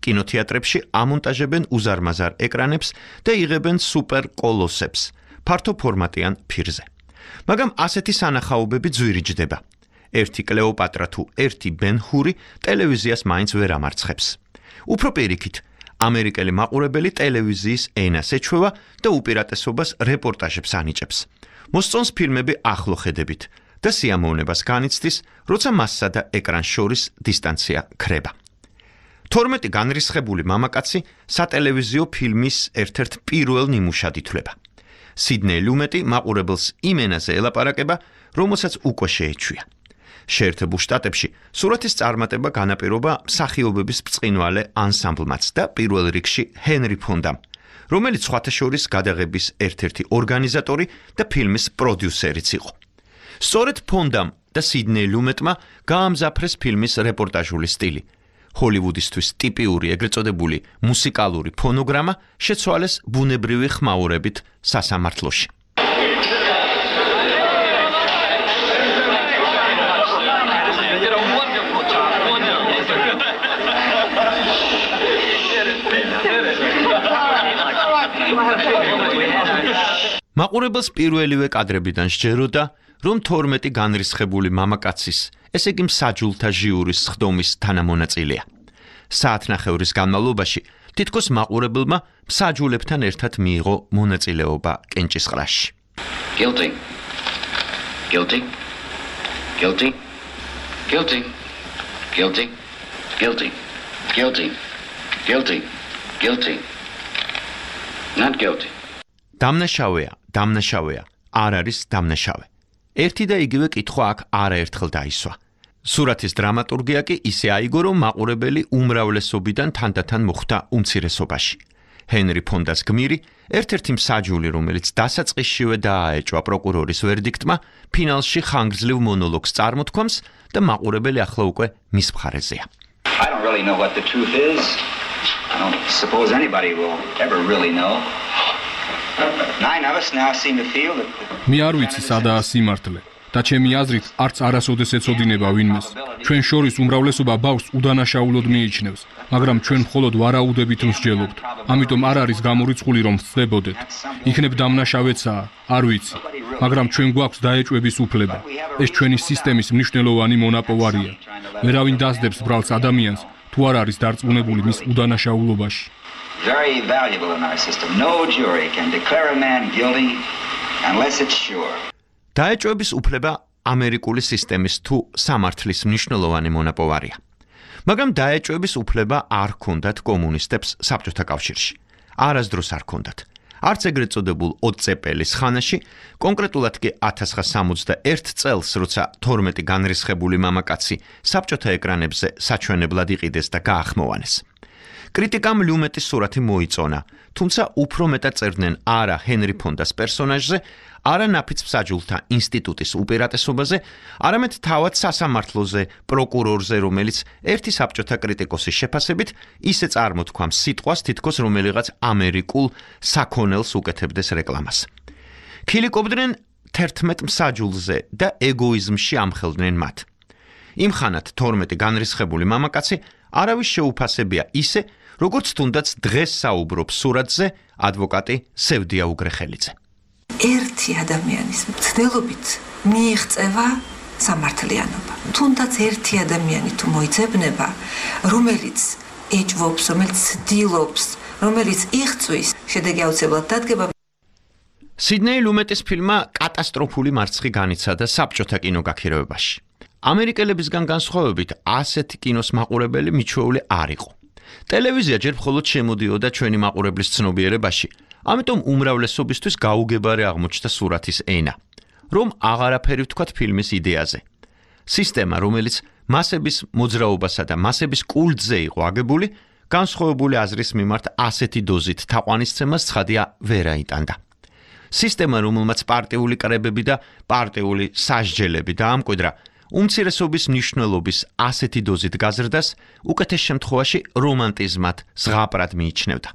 კინოთეატრებში ამონტაჟებენ უზარმაზარ ეკრანებს და იღებენ სუპერ კოლოსებს. ფართო ფორმატიან ფირზე. მაგრამ ასეთი სანახაობები ძვირიჯდება. ერთი კლეოპატრა თუ ერთი ბენ-ჰური ტელევიზიას მაინც ვერ ამარცხებს. უფრო პირიქით, ამერიკელი მაყურებელი ტელევიზიის ენას ეჩვევა და უპირატესობას რეპორტაჟებს ანიჭებს. მოსწონს ფილმები ახლო ხედებით და სიამოვნებას განიცდის, როცა მასსა და ეკრანს შორის დისტანცია ქრება. თორმეტი განრისხებული მამაკაცი სატელევიზიო ფილმის ერთ-ერთ პირველ ნიმუშად ითვლება. სიდნეი ლუმეტი მაყურებელს იმ ენაზე ელაპარაკება, რომელსაც უკვე შეეჩვია. შეერთებულ შტატებში სურათის წარმატება განაპირობა მსახიობების ბრწყინვალე ანსამბლმაც და პირველ რიგში ჰენრი ფონდამ, რომელიც სხვათა შორის გადაღების ერთ-ერთი ორგანიზატორი და ფილმის პროდიუსერიც იყო. სწორედ ფონდამ და სიდნეი ლუმეტმა გაამზაფრეს ფილმის რეპორტაჟული სტილი. ჰოლივუდისთვის ტიპიური ეგრეთ წოდებული მუსიკალური ფონოგრამა შეცვალეს ბუნებრივი ხმაურებით სასამართლოში. მაყურებელს პირველივე კადრებიდან სჯეროდა, რომ თორმეტი განრისხებული მამაკაცის, ესე იგი მსაჯულთა ჟიურის სხდომის თანამონაწილეა. საათნახევრის განმავლობაში თითქოს მაყურებელმა მსაჯულებთან ერთად მიიღო მონაწილეობა კენჭისყრაში. Guilty. Guilty. Guilty. Guilty. Guilty. Guilty. Guilty. Guilty. Guilty. Not guilty. დამნაშავეა, დამნაშავეა, არ არის დამნაშავე. ერთი და იგივე კითხვა აქ არაერთხელ დაისვა. სურათის დრამატურგია კი ისე აიგო, რომ მაყურებელი უმრავლესობიდან თანდათან მოხვდა უმცირესობაში. ჰენრი ფონდას გმირი, ერთ-ერთი მსაჯული, რომელიც დასაწყისშივე დააეჭვა პროკურორის ვერდიქტმა, ფინალში ხანგრძლივ მონოლოგს წარმოთქვამს და მაყურებელი ახლა უკვე მის მხარეზეა. I don't really know what the truth is. I don't suppose anybody will ever really know. Nine of us now seem to feel that მე არ ვიცი სადაა სიმართლე და ჩემი აზრით არც არასოდეს ეცოდინება ვინმეს. ჩვენ შორის უმრავლესობა ბავშვს უდანაშაულოდ მიიჩნევს, მაგრამ ჩვენ მხოლოდ ვარაუდებით მსჯელობთ. ამიტომ არ არის გამორიცხული რომ ვწდებოდეთ. იქნებ დამნაშავეცაა, არ ვიცი, მაგრამ ჩვენ გვაქვს დაეჭვების უფლება. ეს ჩვენი სისტემის მნიშვნელოვანი მონაპოვარია. ვერავინ დასდებს ბრალს ადამიანს, თუ არ არის დარწმუნებული მის უდანაშაულობაში. very valuable in our system. No jury can declare a man guilty unless it's sure. დაეჭვების უფლება ამერიკული სისტემის თუ სამართლის მნიშვნელოვანი მონაპოვარია. მაგრამ დაეჭვების უფლება არ ჰქონდათ კომუნისტებს საბჭოთა კავშირში. არასდროს არ ჰქონდათ. არც ეგრეთ წოდებულ ოცეპელის ხანაში, კონკრეტულად კი ათას ცხრაასა სამოცდაერთ წელს, როცა თორმეტი განრისხებული მამაკაცი საბჭოთა ეკრანებზე საჩვენებლად იყიდეს და გაახმოვანეს. კრიტიკამ ლიუმეტის სურათი მოიწონა, თუმცა უფრო მეტად წერდნენ არა ჰენრი ფონდას პერსონაჟზე, არა ნაფიც მსაჯულთა ინსტიტუტის უპირატესობაზე, არამედ თავად სასამართლოზე, პროკურორზე, რომელიც ერთი საბჭოთა კრიტიკოსის შეფასებით ისე წარმოთქვამს სიტყვას, თითქოს რომელიღაც ამერიკულ საქონელს უკეთებდეს რეკლამას. ქილიკობდნენ თერთმეტ მსაჯულზე და ეგოიზმში ამხელდნენ მათ. იმხანად თორმეტი განრისხებული მამაკაცი არავის შეუფასებია ისე, როგორც თუნდაც დღეს საუბრობს სურათზე ადვოკატი სევდია უგრეხელიძე. ერთი ადამიანის მცდელობით მიიღწევა სამართლიანობა. თუნდაც ერთი ადამიანი თუ მოიძებნება, რომელიც ეჭვობს, რომელიც ცდილობს, რომელიც იღწვის, შედეგი აუცილებლად დადგება. სიდნეი ლუმეტის ფილმმა კატასტროფული მარცხი განიცადა საბჭოთა კინოგაქირავებაში. ამერიკელებისგან განსხვავებით, ასეთი კინოს მაყურებელი მიჩვეული არ იყო. ტელევიზია ჯერ მხოლოდ შემოდიოდა ჩვენი მაყურებლის ცნობიერებაში, ამიტომ უმრავლესობისთვის გაუგებარი აღმოჩნდა სურათის ენა, რომ აღარაფერი ვთქვათ ფილმის იდეაზე. სისტემა, რომელიც მასების მოძრაობასა და მასების კულტზე იყო აგებული, განსხვავებული აზრის მიმართ ასეთი დოზით თაყვანისცემას ცხადია ვერ აიტანდა. სისტემა, რომელმაც პარტიული კრებები და პარტიული სასჯელები დაამკვიდრა, უმცირესობის მნიშვნელობის ასეთი დოზით გაზრდას უკეთეს შემთხვევაში რომანტიზმად, ზღაპრად მიიჩნევდა.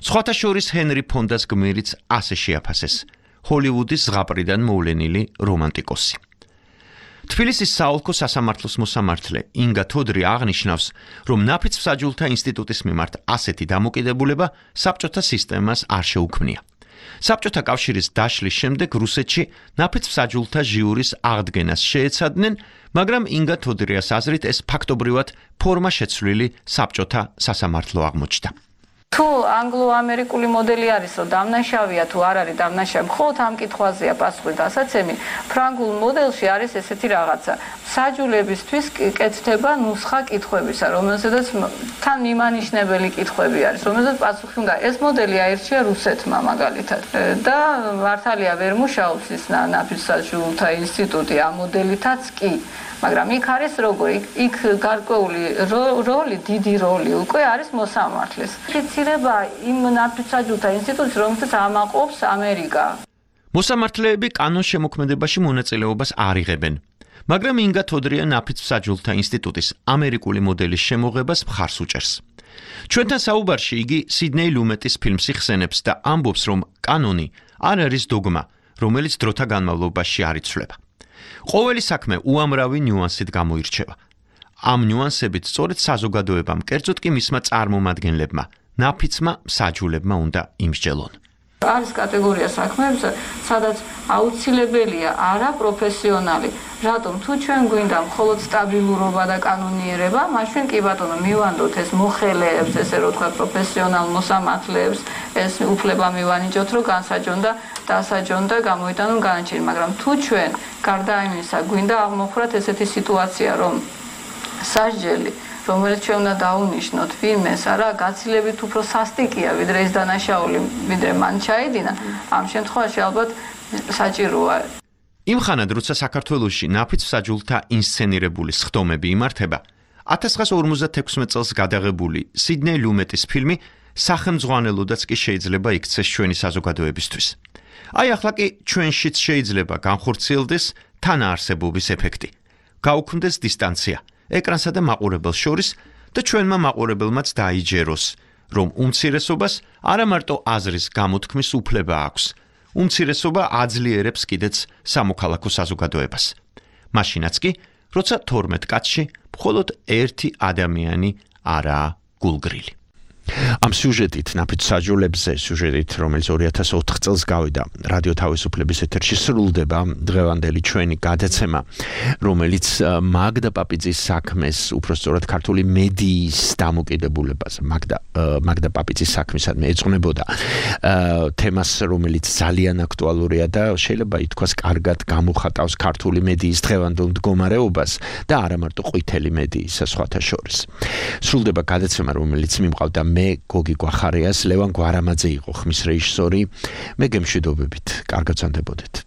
სხვათა შორის ჰენრი ფონდას გმირიც ასე შეაფასეს, ჰოლივუდის ზღაპრიდან მოვლენილი რომანტიკოსი. თბილისის საოლქო სასამართლოს მოსამართლე ინგა თოდრი აღნიშნავს, რომ ნაფიც მსაჯულთა ინსტიტუტის მიმართ ასეთი დამოკიდებულება საბჭოთა სისტემას არ შეუქმნია. საბჭოთა კავშირის დაშლის შემდეგ რუსეთში ნაფიც მსაჯულთა ჟიურის აღდგენას შეეცადნენ, მაგრამ ინგა თოდრიას აზრით ეს ფაქტობრივად ფორმაშეცვლილი საბჭოთა სასამართლო აღმოჩნდა. თუ ანგლო-ამერიკული მოდელი არის, რომ დამნაშავეა თუ არ არის დამნაშავე, მხოლოდ ამ კითხვაზეა პასუხი დასაცემი. ფრანგულ მოდელში არის ესეთი რაღაცა. მსაჯულებისთვის კეთდება ნუსხა კითხვებისა, რომელზედაც თან მიმანიშნებელი კითხვები არის, რომელზედაც პასუხი უნდა. ეს მოდელი აირჩია რუსეთმა მაგალითად. და მართალია ვერ მუშაობს ის ნაფიც მსაჯულთა ინსტიტუტი ამ მოდელითაც კი. მაგრამ იქ არის როგორი, იქ გარკვეული როლი, დიდი როლი უკვე არის მოსამართლეს. ფიცირება იმ ნაფიც მსაჯულთა ინსტიტუტს, რომელსაც ამაყობს ამერიკა. მოსამართლეები კანონ შემოქმედებაში მონაწილეობას არ იღებენ, მაგრამ ინგა თოდრია ნაფიც მსაჯულთა ინსტიტუტის ამერიკული მოდელის შემოღებას მხარს უჭერს. ჩვენთან საუბარში იგი სიდნეი ლუმეტის ფილმს იხსენებს და ამბობს, რომ კანონი არ არის დოგმა, რომელიც დროთა განმავლობაში არ იცვლება. ყოველი საქმე უამრავი ნიუანსით გამოირჩევა. ამ ნიუანსებით სწორედ საზოგადოებამ, კერძოდ კი მისმა წარმომადგენლებმა, ნაფიცმა მსაჯულებმა უნდა იმსჯელონ. არის კატეგორია საქმეებისა, სადაც აუცილებელია არა პროფესიონალი. რატომ თუ ჩვენ გვინდა მხოლოდ სტაბილურობა და კანონიერება, მაშინ კი ბატონო მივანდოთ ეს მოხელეებს, ესე რომ თქვა პროფესიონალ მოსამართლეებს, ეს უფლება მივანიჭოთ, რომ განსაჯონ და დასაჯონ და გამოიტანონ განაჩენი, მაგრამ თუ ჩვენ გარდა იმისა გვინდა აღმოხვრათ ესეთი სიტუაცია, რომ სასჯელი რომელიც ჩვენ უნდა დავუნიშნოთ ვინმეს არა გაცილებით უფრო სასტიკია ვიდრე ის დანაშაული ვიდრე მან ჩაიდინა ამ შემთხვევაში ალბათ საჭიროა იმ ხანად როცა საქართველოში ნაფიც მსაჯულთა ინსცენირებული სხდომები იმართება ათას ცხრაასა ორმოცდათექვსმეტ წელს გადაღებული სიდნეი ლუმეტის ფილმი სახელმძღვანელოდაც კი შეიძლება იქცეს ჩვენი საზოგადოებისთვის აი ახლა კი ჩვენშიც შეიძლება განხორციელდეს თანაარსებობის ეფექტი გაუქმდეს დისტანცია ეკრანსა და მაყურებელს შორის და ჩვენმა მაყურებელმაც დაიჯეროს რომ უმცირესობას არა მარტო აზრის გამოთქმის უფლება აქვს უმცირესობა აძლიერებს კიდეც სამოქალაქო საზოგადოებას მაშინაც კი როცა თორმეტ კაცში მხოლოდ ერთი ადამიანი არაა გულგრილი ამ სიუჟეტით ნაფიც საჯულებზე სიუჟეტით რომელიც ორი ათას ოთხ წელს გავიდა რადიო თავისუფლების ეთერში სრულდება დღევანდელი ჩვენი გადაცემა რომელიც მაგდა პაპიძის საქმეს უпростоრად ქართული მედიის დამოკიდებულებას მაგდა მაგდა პაპიძის საქმისადმი ეძღვნებოდა თემას რომელიც ძალიან აქტუალურია და შეიძლება ითქვას კარგად გამოხატავს ქართული მედიის დღევანდელ მდგომარეობას და არა მარტო ყვითელი მედიის სხვათა შორის სრულდება გადაცემა რომელიც მიმყავდა მე გოგი გვახარიას ლევან გვარამაძე იყო ხმის რეჟისორი მე გემშვიდობებით კარგად ვსანდებოდეთ